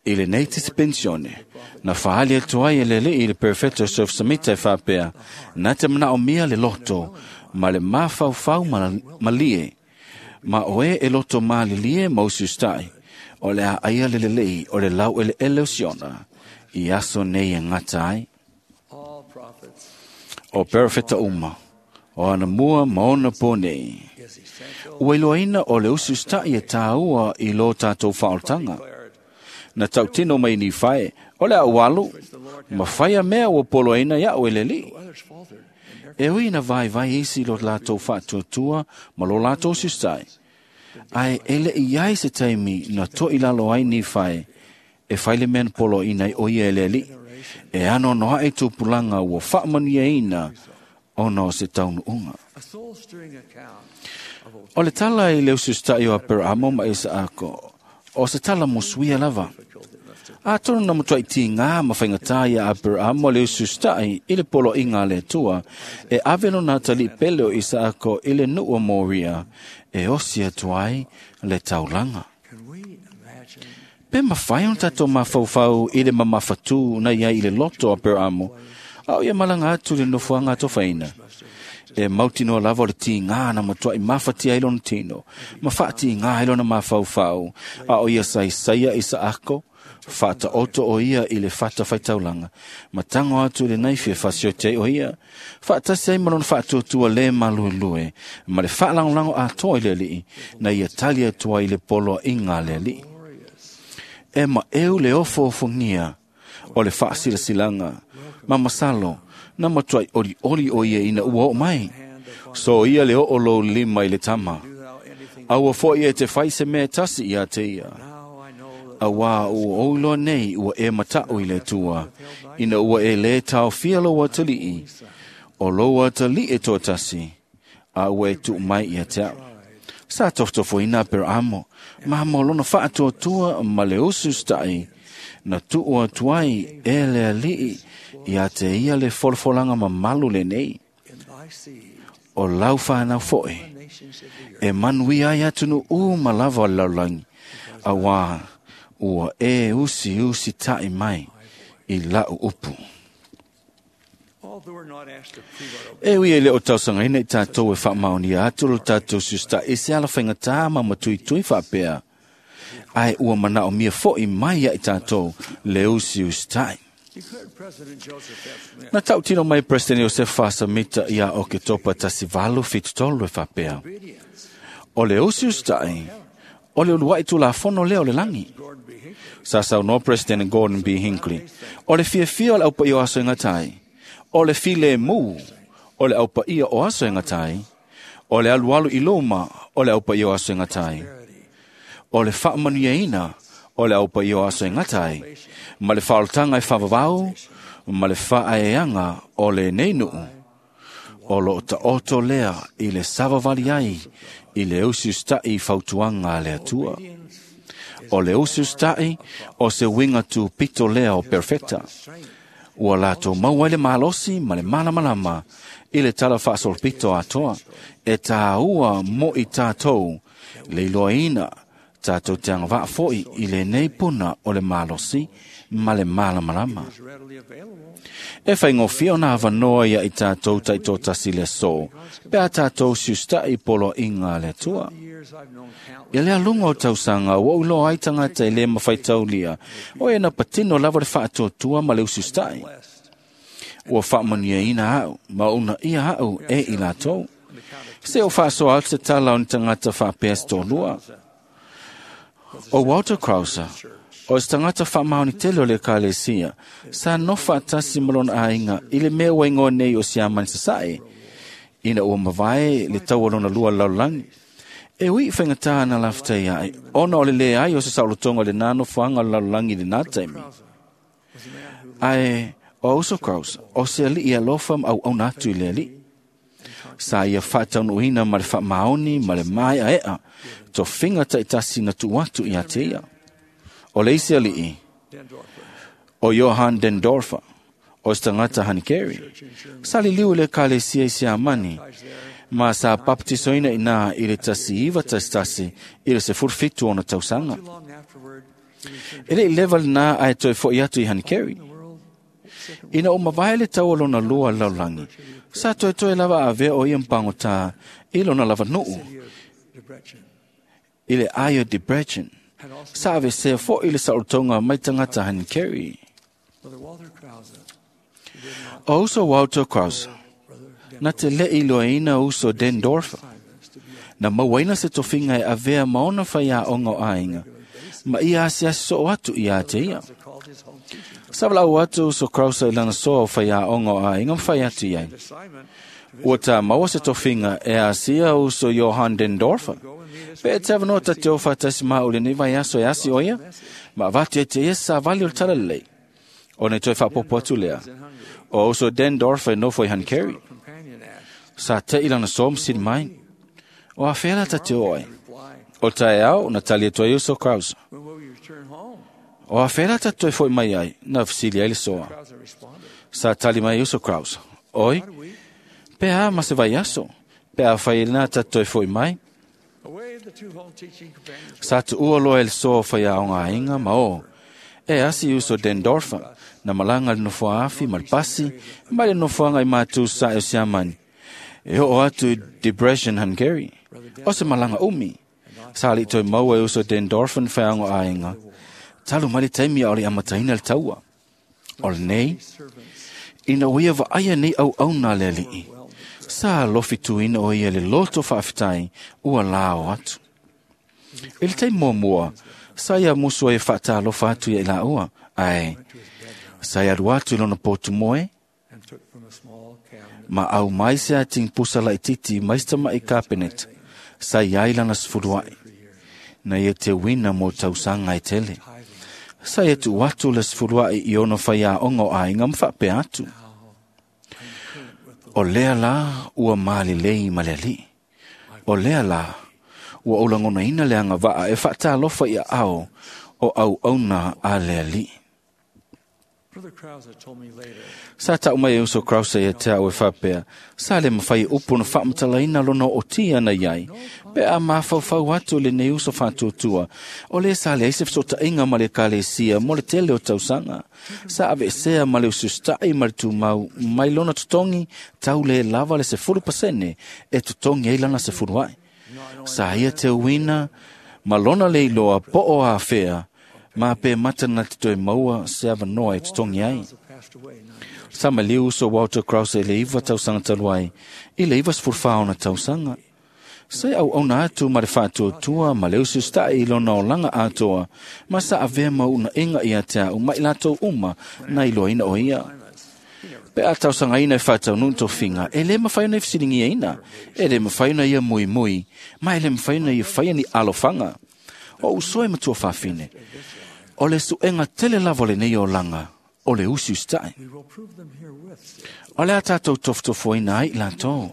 I le nei dispensione, na whaali atu ai e lele i le perfecto surf samita e whapea, na te mana o mia le loto, ma le mawhauwhau malie. Ma oe e loto malilie ma usiusita'i, o le a aia le lelei o le lau eleele o Siona, i aso nei e gata ai. O perofeta uma, o anamua ma ona po nei. Ua iloaina o le usiusita'i e tāua i lo tātou faaolataga. Na tautino mai Nifae, o le au alu, ma fai a mea ua poloaina ia'u e le Alii. E ui na vaivai isi lo latou faatuatua ma lo latou usiusitai. Ae e le'i ai se taimi na to'ilalo ai Nifae e fai le mea na poloaina ai o ia e le Alii. E anoanoa'i tupulaga ua faamanuiaina ona o se taunuuga. O le tala i le usiusita'i o Aperamo ma Isaako, o se tala musuia lava. Atonu na matuai tigā ma faigatā ia Aperamo le usiusita'i i le poloaiga a le Atua, e ave lona atalii pele o Isaako i le nuu o Moria, e osi atu ai le taulaga. Pe mafai ona tatou mafaufau i le mamafatū na iai i le loto o Aperamo, a o ia malaga atu i le nofoaga atofaina. E mautinoa lava o le tigā na matuai mafatia ai lona tino, ma faatigā ai lona mafaufau, a o ia saisaia Isaako, faataoto o ia i le fata faitaulaga, ma tago atu i le naifi e fasioti ai o ia, faatasi ai ma lona faatuatua lē maluelue, ma le faalagolago atoa i le Alii, na ia tali atu ai i le poloaiga a le Alii. E maʻeu le ofoofogia o le faasilasilaga, ma masalo, na matuai olioli o ia ina ua oo mai. So ia le oo lou lima i le tama. Aua fo'i e te fai se mea e tasi iā te ia. Auā ua ou iloa nei ua e mataʻu i le Atua, ina ua e lē taofia lou atalii, o lou atalii e toatasi, a ua e tuu mai ia te a'u. Sa tofotofoina Aperamo, ma mo lona faatuatua ma le usiusita'i, na tuu atu ai e le Alii ia te ia le folafolaga mamalu lenei. O lau fanau fo'i, e manuia ai atunuʻu ma lava o le lalolagi, auā ua e usiusita'i mai i la'u upu. E ui e le o tausagaina i tatou e faamaonia atu lo tatou usiusita'i i se ala faigatā ma matuitui faapea, ae ua manaomia fo'i mai ia i tatou le usiusita'i. Na tautino mai President Iosefa Samita ia Oketopa 1873 e faapea, o le usiusita'i, o le ulua'i tulafono lea o le lagi. Sa saunoa President Gordon B. Hinckley, o le fiafia o le aupaia o aso e gata ai, o le filemu o le aupaia o aso e gata ai, o le alualu i luma o le aupaia o aso e gata ai, o le faamanuiaina o le aupaia o aso e gata ai, ma le faaolataga e faavavau, ma le faaeaga o lenei nuu, o loo taoto lea i le savavali ai i le usiusita'i i fautuaga a le Atua. O le usiusita'i o se uiga tupito lea o perfeta. Ua latou maua ai le malosi ma le malamalama i le tala faasolopito atoa, e tāua mo i tatou le iloaina tatou te agavaa fo'i i lenei puna o le malosi ma le malamalama. E faigofie ona avanoa ia i tatou taitoatasi le aso, pe a tatou usiusita'i i poloaiga a le Atua. Ia le aluga o tausaga ua ou iloa ai tagata e lē mafaitaulia, o e na patino lava le faatuatua ma le usiusita'i. Ua faamanuiaina a'u ma uunaia a'u e i latou. Se o faasoa atu se tala o ni tagata faapea se toalua. O Walter Krauser, o se tagata faamaoni tele o le Ekalesia, sa nofo faatasi ma lona aiga i le mea ua igoa nei o Siamani Sasae, ina ua mavae le taua lona lua lalolagi. E ui i faigatā na lafatai ai, ona o le leai o se saolotoga o lenā nofoaga o le lalolagi i lenā taimi. Ae o Auso Krauser, o se alii alofa ma auauna atu i le Alii. Sa ia faataunuuina ma le faamaoni ma le maeaea, tofiga taitasi na tuu atu ia te ia. O le isi alii, o Johann Dendorfer, o se tagata Hanikeri, sa liliu i le Ekalesia i Siamani, ma sa papatisoina inā i le 1911 i le 17 ona tausaga. E le'i leva lenā ae toe fo'i atu i Hanikeri. Ina ua mavae le tau o lona lua lalolagi, sa toetoe lava avea o ia ma pagotā i lona lava nuu. I le ai o Debrecen. Sa avesea fo'i le sa'olotoga mai tagata Hankeri. O uso Walter Krause na te le'i iloaina uso Dendorfer na mauaina se tofiga e avea ma ona faiaoga o aiga ma ia asiasi soo atu ia te ia. Sa valaau atu uso Krause i lana soa o faiaoga o aiga ma fai atu i ai. Ua tā maua se tofiga e asia uso Johann Dendorfer. Pe e te avanoa ta te o whātasi maa o lenei vai aso e asi o ia, ma avatu e te ia sa vali o le tala lelei. O nei toe whaapopo atu lea. O uso Dendorfer e nofo i Hankeri. Sa te i lana soa msini mai. O a whela ta te o ai. O tae au, na tali e toe uso Krause. O a whela ta toe foi mai ai, na fisili ai le soa. Sa tali mai uso Krause. Oi, pe a ma se vai aso. Pe a whai nā ta toe foi mai. Sa tu ua loa e le soa whai a onga ainga ma o. E asi uso Dendorfer, na malanga le nofoa afi ma le pasi, ma le nofoanga i mātū sa e o siamani. E o atu i Debrecen, Hungary. O se malanga umi. Sa li toi maua e uso Dendorfer whai onga ainga. Talu mai le taimi a o le amataina le taua. O le nei, ina o ia vaaia nei au au nā le alii. Sa lofi tuina o ia le loto whaafitai ua la o atu. I le taimi muamua, sa ia musu ai whaatalofa atu ia i la ua. Ai, sa ia alu atu i lona pōtu moe, ma au mai se ating pusa laititi mai se tama'i kapenet, sa ia ai lana sefulua'i. Na ia te wina mo tausaga e tele. Sa ia tuu atu le sefulua'i i ona faiaoga o aiga ma faapea atu. O lea la ua malelei ma le alii. O lea la ua ou lagonaina le agavaa e faatalofa i aao o auauna a le alii. Sa tau mai e uso Krause ia te au e whapea, sa le mawhai upu na whaamatalaina lona o tia na iai, pe a mafaufau atu le nei uso whātuatua, o le sa le aise fesootaiga ma le ekalesia mo le tele o tausaga, sa aveesea ma le usiusitai ma le tumau mai lona totogi tau le lava le 10% e totogi ai lana sefulua'i. Sa ia te uina ma lona le iloa po o afea, ma pe mata na te toe maua se avanoa e totogi ai. Sa maliu uso Walter Krause i le 9 tausaga talu ai, i le 94 ona tausaga. Sa e auauna atu ma le faatuatua ma le usiusitai i lona olaga atoa, ma sa avea ma uunaʻiga ia te a'u ma i latou uma na iloaina o ia. Pe a tausagaina e faataunuu tofiga, e lē mafai ona e fesiligiaina, e lē mafai ona ia muimui, ma e lē mafai ona ia faia ni alofaga. O uso e matua fafine, o le suʻega tele lava o lenei olaga, o le usiusitai. O le a tatou tofotofoina ai i latou.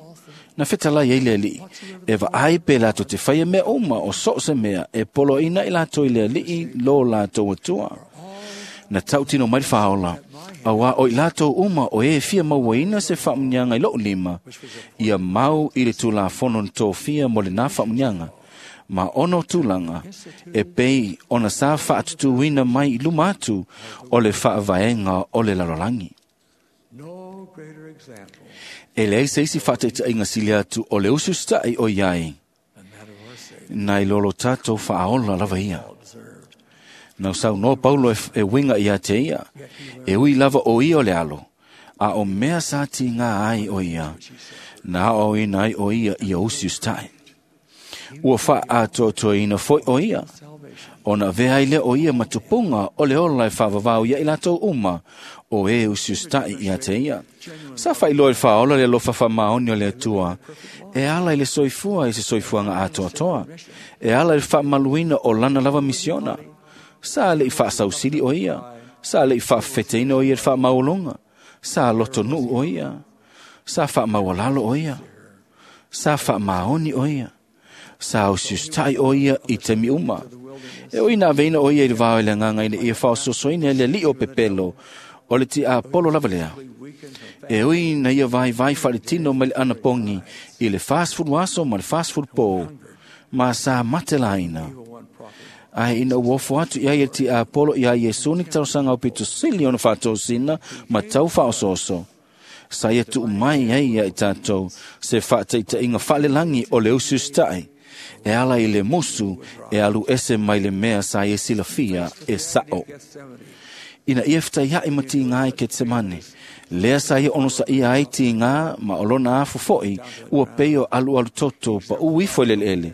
Na fetalai ai le alii, e vaai pe latou te faia mea uma o so o se mea e poloaina i latou i le alii lo latou atua. Na tautino mai le faaola, auā o i latou uma o e fia mauaina se faamuniaga i lou lima, ia mau i le tulafono na tofia mo lenā faamuniaga, ma ona o tulaga e pei ona sa faatutuina mai i luma atu o le faavaega o le lalolagi. E leai se isi faataitaiga sili atu o le usiusitaʻi o iai nai lolo tatou faaola lava ia. Na saunoa Paulo e uiga ia te ia, e ui lava o ia o le alo, a o mea sa tigā ai o ia, na aoaoina ai o ia ia usiusitaʻi. Ua faaatoatoaina foi o ia, ona avea ai lea o ia ma tupuga o le ola e faavavao ia i latou uma o e usiusitaʻi ia te ia. Sa faailoa i le faaola le alofa faamaoni o le Atua, e ala i le soifua i se soifuaga atoatoa, e ala i le faamaluina o lana lava misiona. Sa leʻi faasausili o ia, sa leʻi faafefeteina o ia i le faamauologa, sa lotonuu o ia, sa faamaualalo o ia, sa faamaoni o ia, sa usiusitaʻi o ia i taimi uma. E ui na aveina o ia i le vao i le agaga ina ia faaososoina e le alii o pepelo o le tiapolo lava lea. E ui na ia vaivai faaletino mai le anapogi i le 40 aso ma le 40 pō, ma sa mate laina. Ae ina ua ofo atu i ai e le tiapolo iā Iesu ni talosaga o pito sili ona faatosina ma tau faaosooso. Sa ia tuu mai ai ia i tatou se faataitaiga faalelagi o le usiusitaʻi, E ala i le musu e alu ese mai le mea sa ia silafia e sa'o. Ina ia fetaia'i ma tigā i Ketsemane, lea sa ia onosaʻia ai tigā ma o lona afu fo'i ua pei o alualu toto paʻū ifo i le eleele.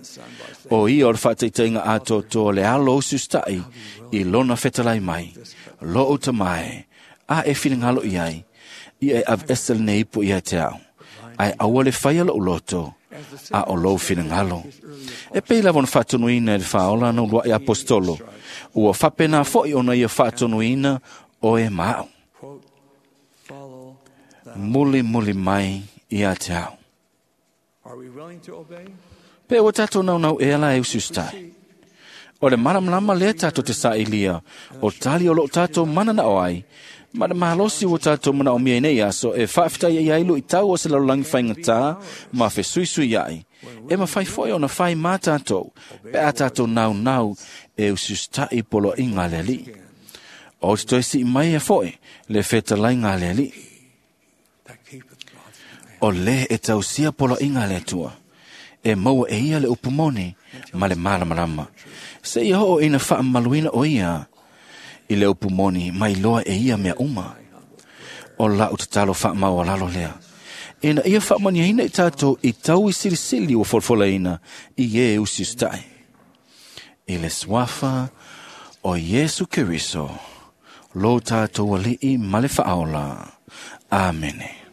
O ia o le faataitaiga atoatoa o le alo usiusitaʻi i lona fetalai mai, lo'u tamā e, a e finagalo i ai, ia e aveese lenei ipu ia te a'u, ae aua le faia lo'u loto, a o lou finagalo. E pei lava ona faatonuina e le faaola ana ulua'i aposetolo, ua faapena fo'i ona ia faatonuina oe ma a'u. Mulimuli mai ia te a'u. Pe ua tatou naunau ea la e usiusitai. O le malamalama lea tatou te saʻilia, o tali o loo tatou mananao ai, ma le malosi ua tatou manaomia i nei aso e faafetaia ai luʻitau o se lalolagi faigatā ma fesuisuiaʻi, e mafai foi ona fai mā tatou, pe a tatou naunau e usiusitaʻi poloaʻiga a le Alii. O te toe sii mai e foʻi le fetalaiga a le Alii. O lē e tausia poloaʻiga a le Atua, e maua e ia le upu moni ma le malamalama. Seia oo ina faamamaluina o ia i le upu moni mai loa e ia mea uma. O la'u tatalo faamaualalo lea, ina ia faamanuiaina i tatou i tau i silisili ua folafolaina i ē usiusitaʻi. I le suafa o Iesu Keriso, lo tatou Alii ma le Faaola. Amene.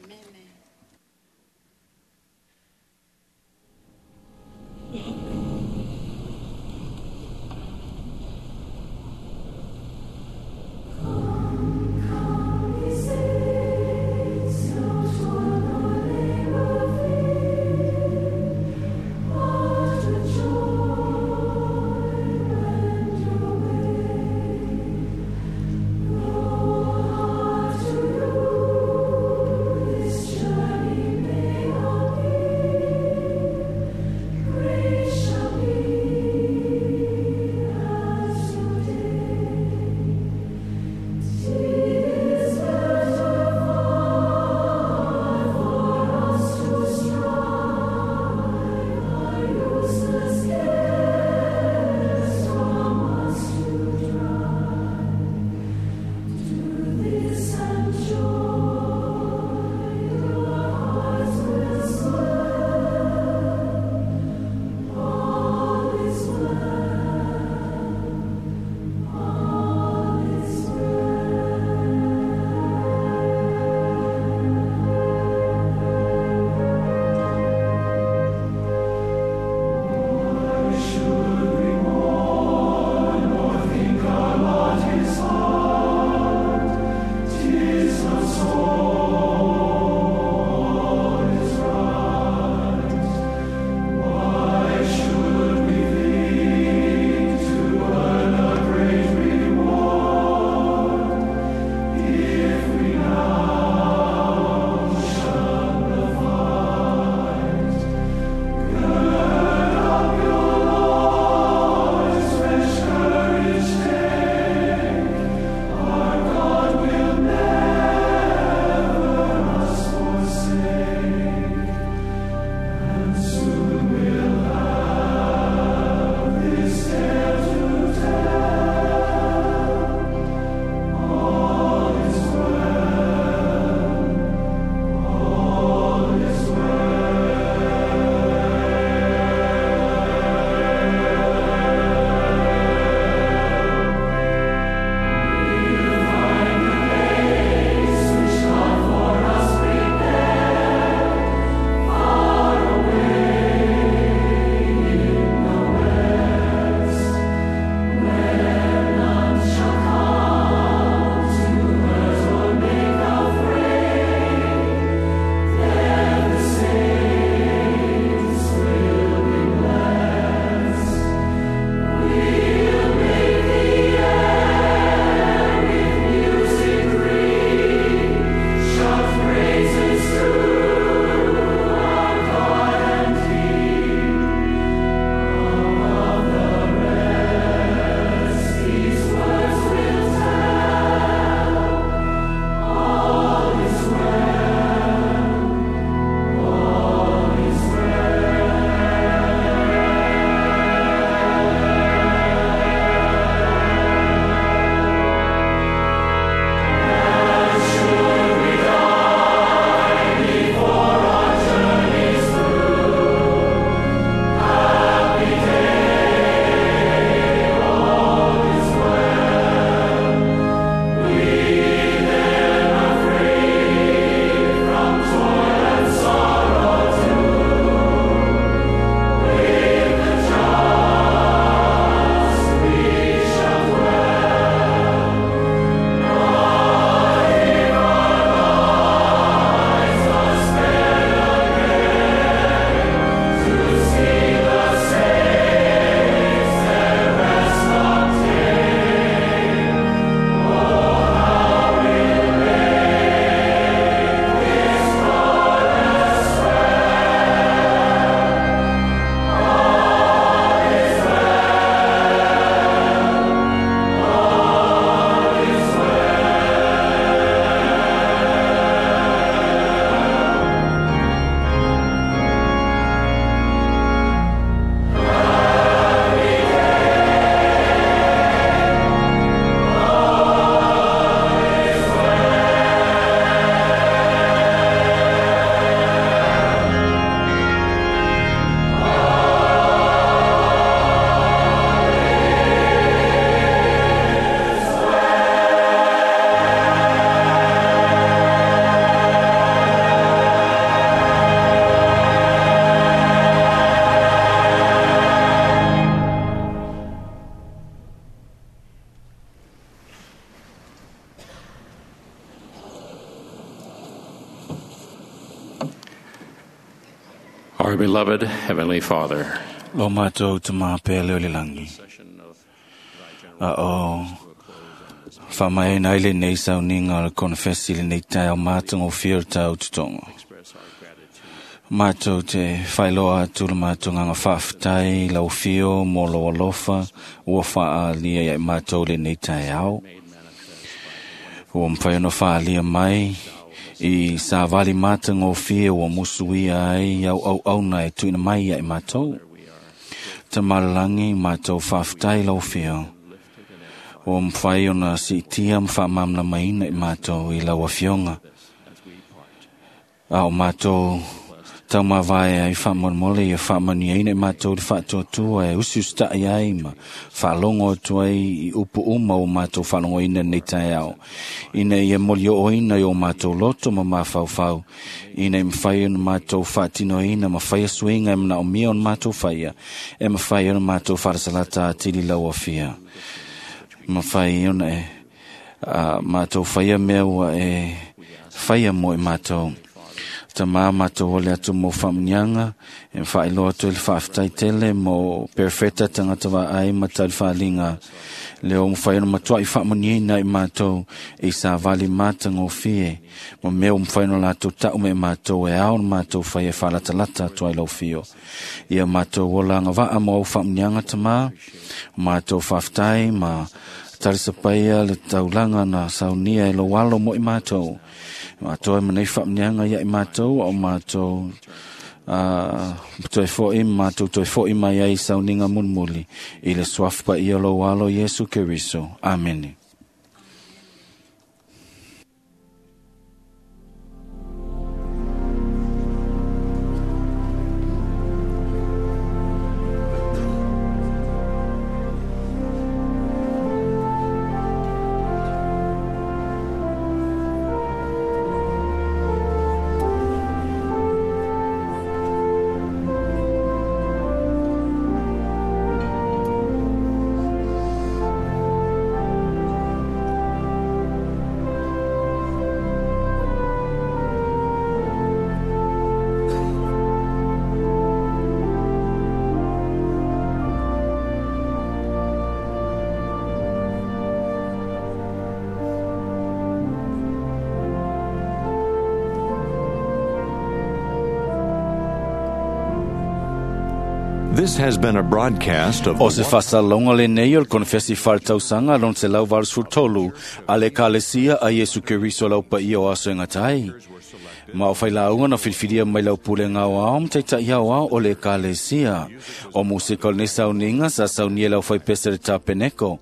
Our beloved Heavenly Father, Lo mātou te māpea leo le langi. A o whamai nei le nei sauninga o le konfesi le nei tai au mātongo whio tau tutongo. Mātou te whailoa atu le mātou nganga whaaftai lau whio mō lo alofa ua whaalia ia i mātou le nei tai au. Ua mwhai ono whaalia mai i sa wali mātongo whio ua musuia ai au au au nei tuina mai ia i mātou. Te malalangi mātou whaaftai lau whio. Ua mwhai ona siitia mwhaamamna maina i mātou i lau afionga. A o mātou tau mavae ai whaamormole ia whaamaniaina i mātou le whaatuatua e usi ustai ai ma whaalongo atu ai i upu uma o mātou whaalongoina nei tai ao. Ina ia moli o oina i o mātou loto ma mawhauwhau. Ina i mwhai ona mātou whaatinoina ma whai asuinga e mana o mia ona mātou whaia. E mwhai ona mātou wharasalata a tili lau afia. Ma whai ona e mātou whaia mea ua e whaia mo i mātou. Ta mā mātou ole atu mō whamunianga, e whailoa atu le whaaftai tele mō perfeta tangata wa ai ma tau whalinga. Le o mwhai ona matua i whaamuniina i mātou i sa wali māta ngō fie. Ma mea o mwhai ona lātou tau me mātou e ao na mātou whai e whalatalata atu ai lau fio. Ia mātou ola ngā waa mō au whaamunianga ta mā, mātou whaaftai ma tarisapaia le taulanga na saunia e lo alo mo i mātou. Mātou e manei whaamnianga ia i mātou, o mātou toi fo i mātou toi fo i mai ai sauninga munmuli. I le suafpa ia lo alo Yesu Keriso. Amene. This has been a broadcast of O se whasalonga le nei o le konfesi whaltausanga lon se lau valsfutolu a le kalesia a Yesu Keriso lau pa ia o aso e ngatai. Ma o whailaunga na whilwhilia mai lau pule ngau ao mtaitai au ao o le kalesia. O musika o le sauninga sa saunia lau whaipese le tapeneko.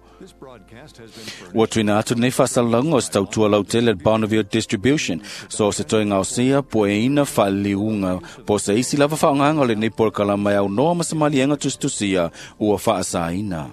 Ua tuina atu nei whasalonga o se tautua lau tele Bonneville Distribution. So se toi ngau sia po e ina whaliunga. Po se isi lava whaonganga o le nei por kalama au noa masamalienga tustusia ua whaasaina.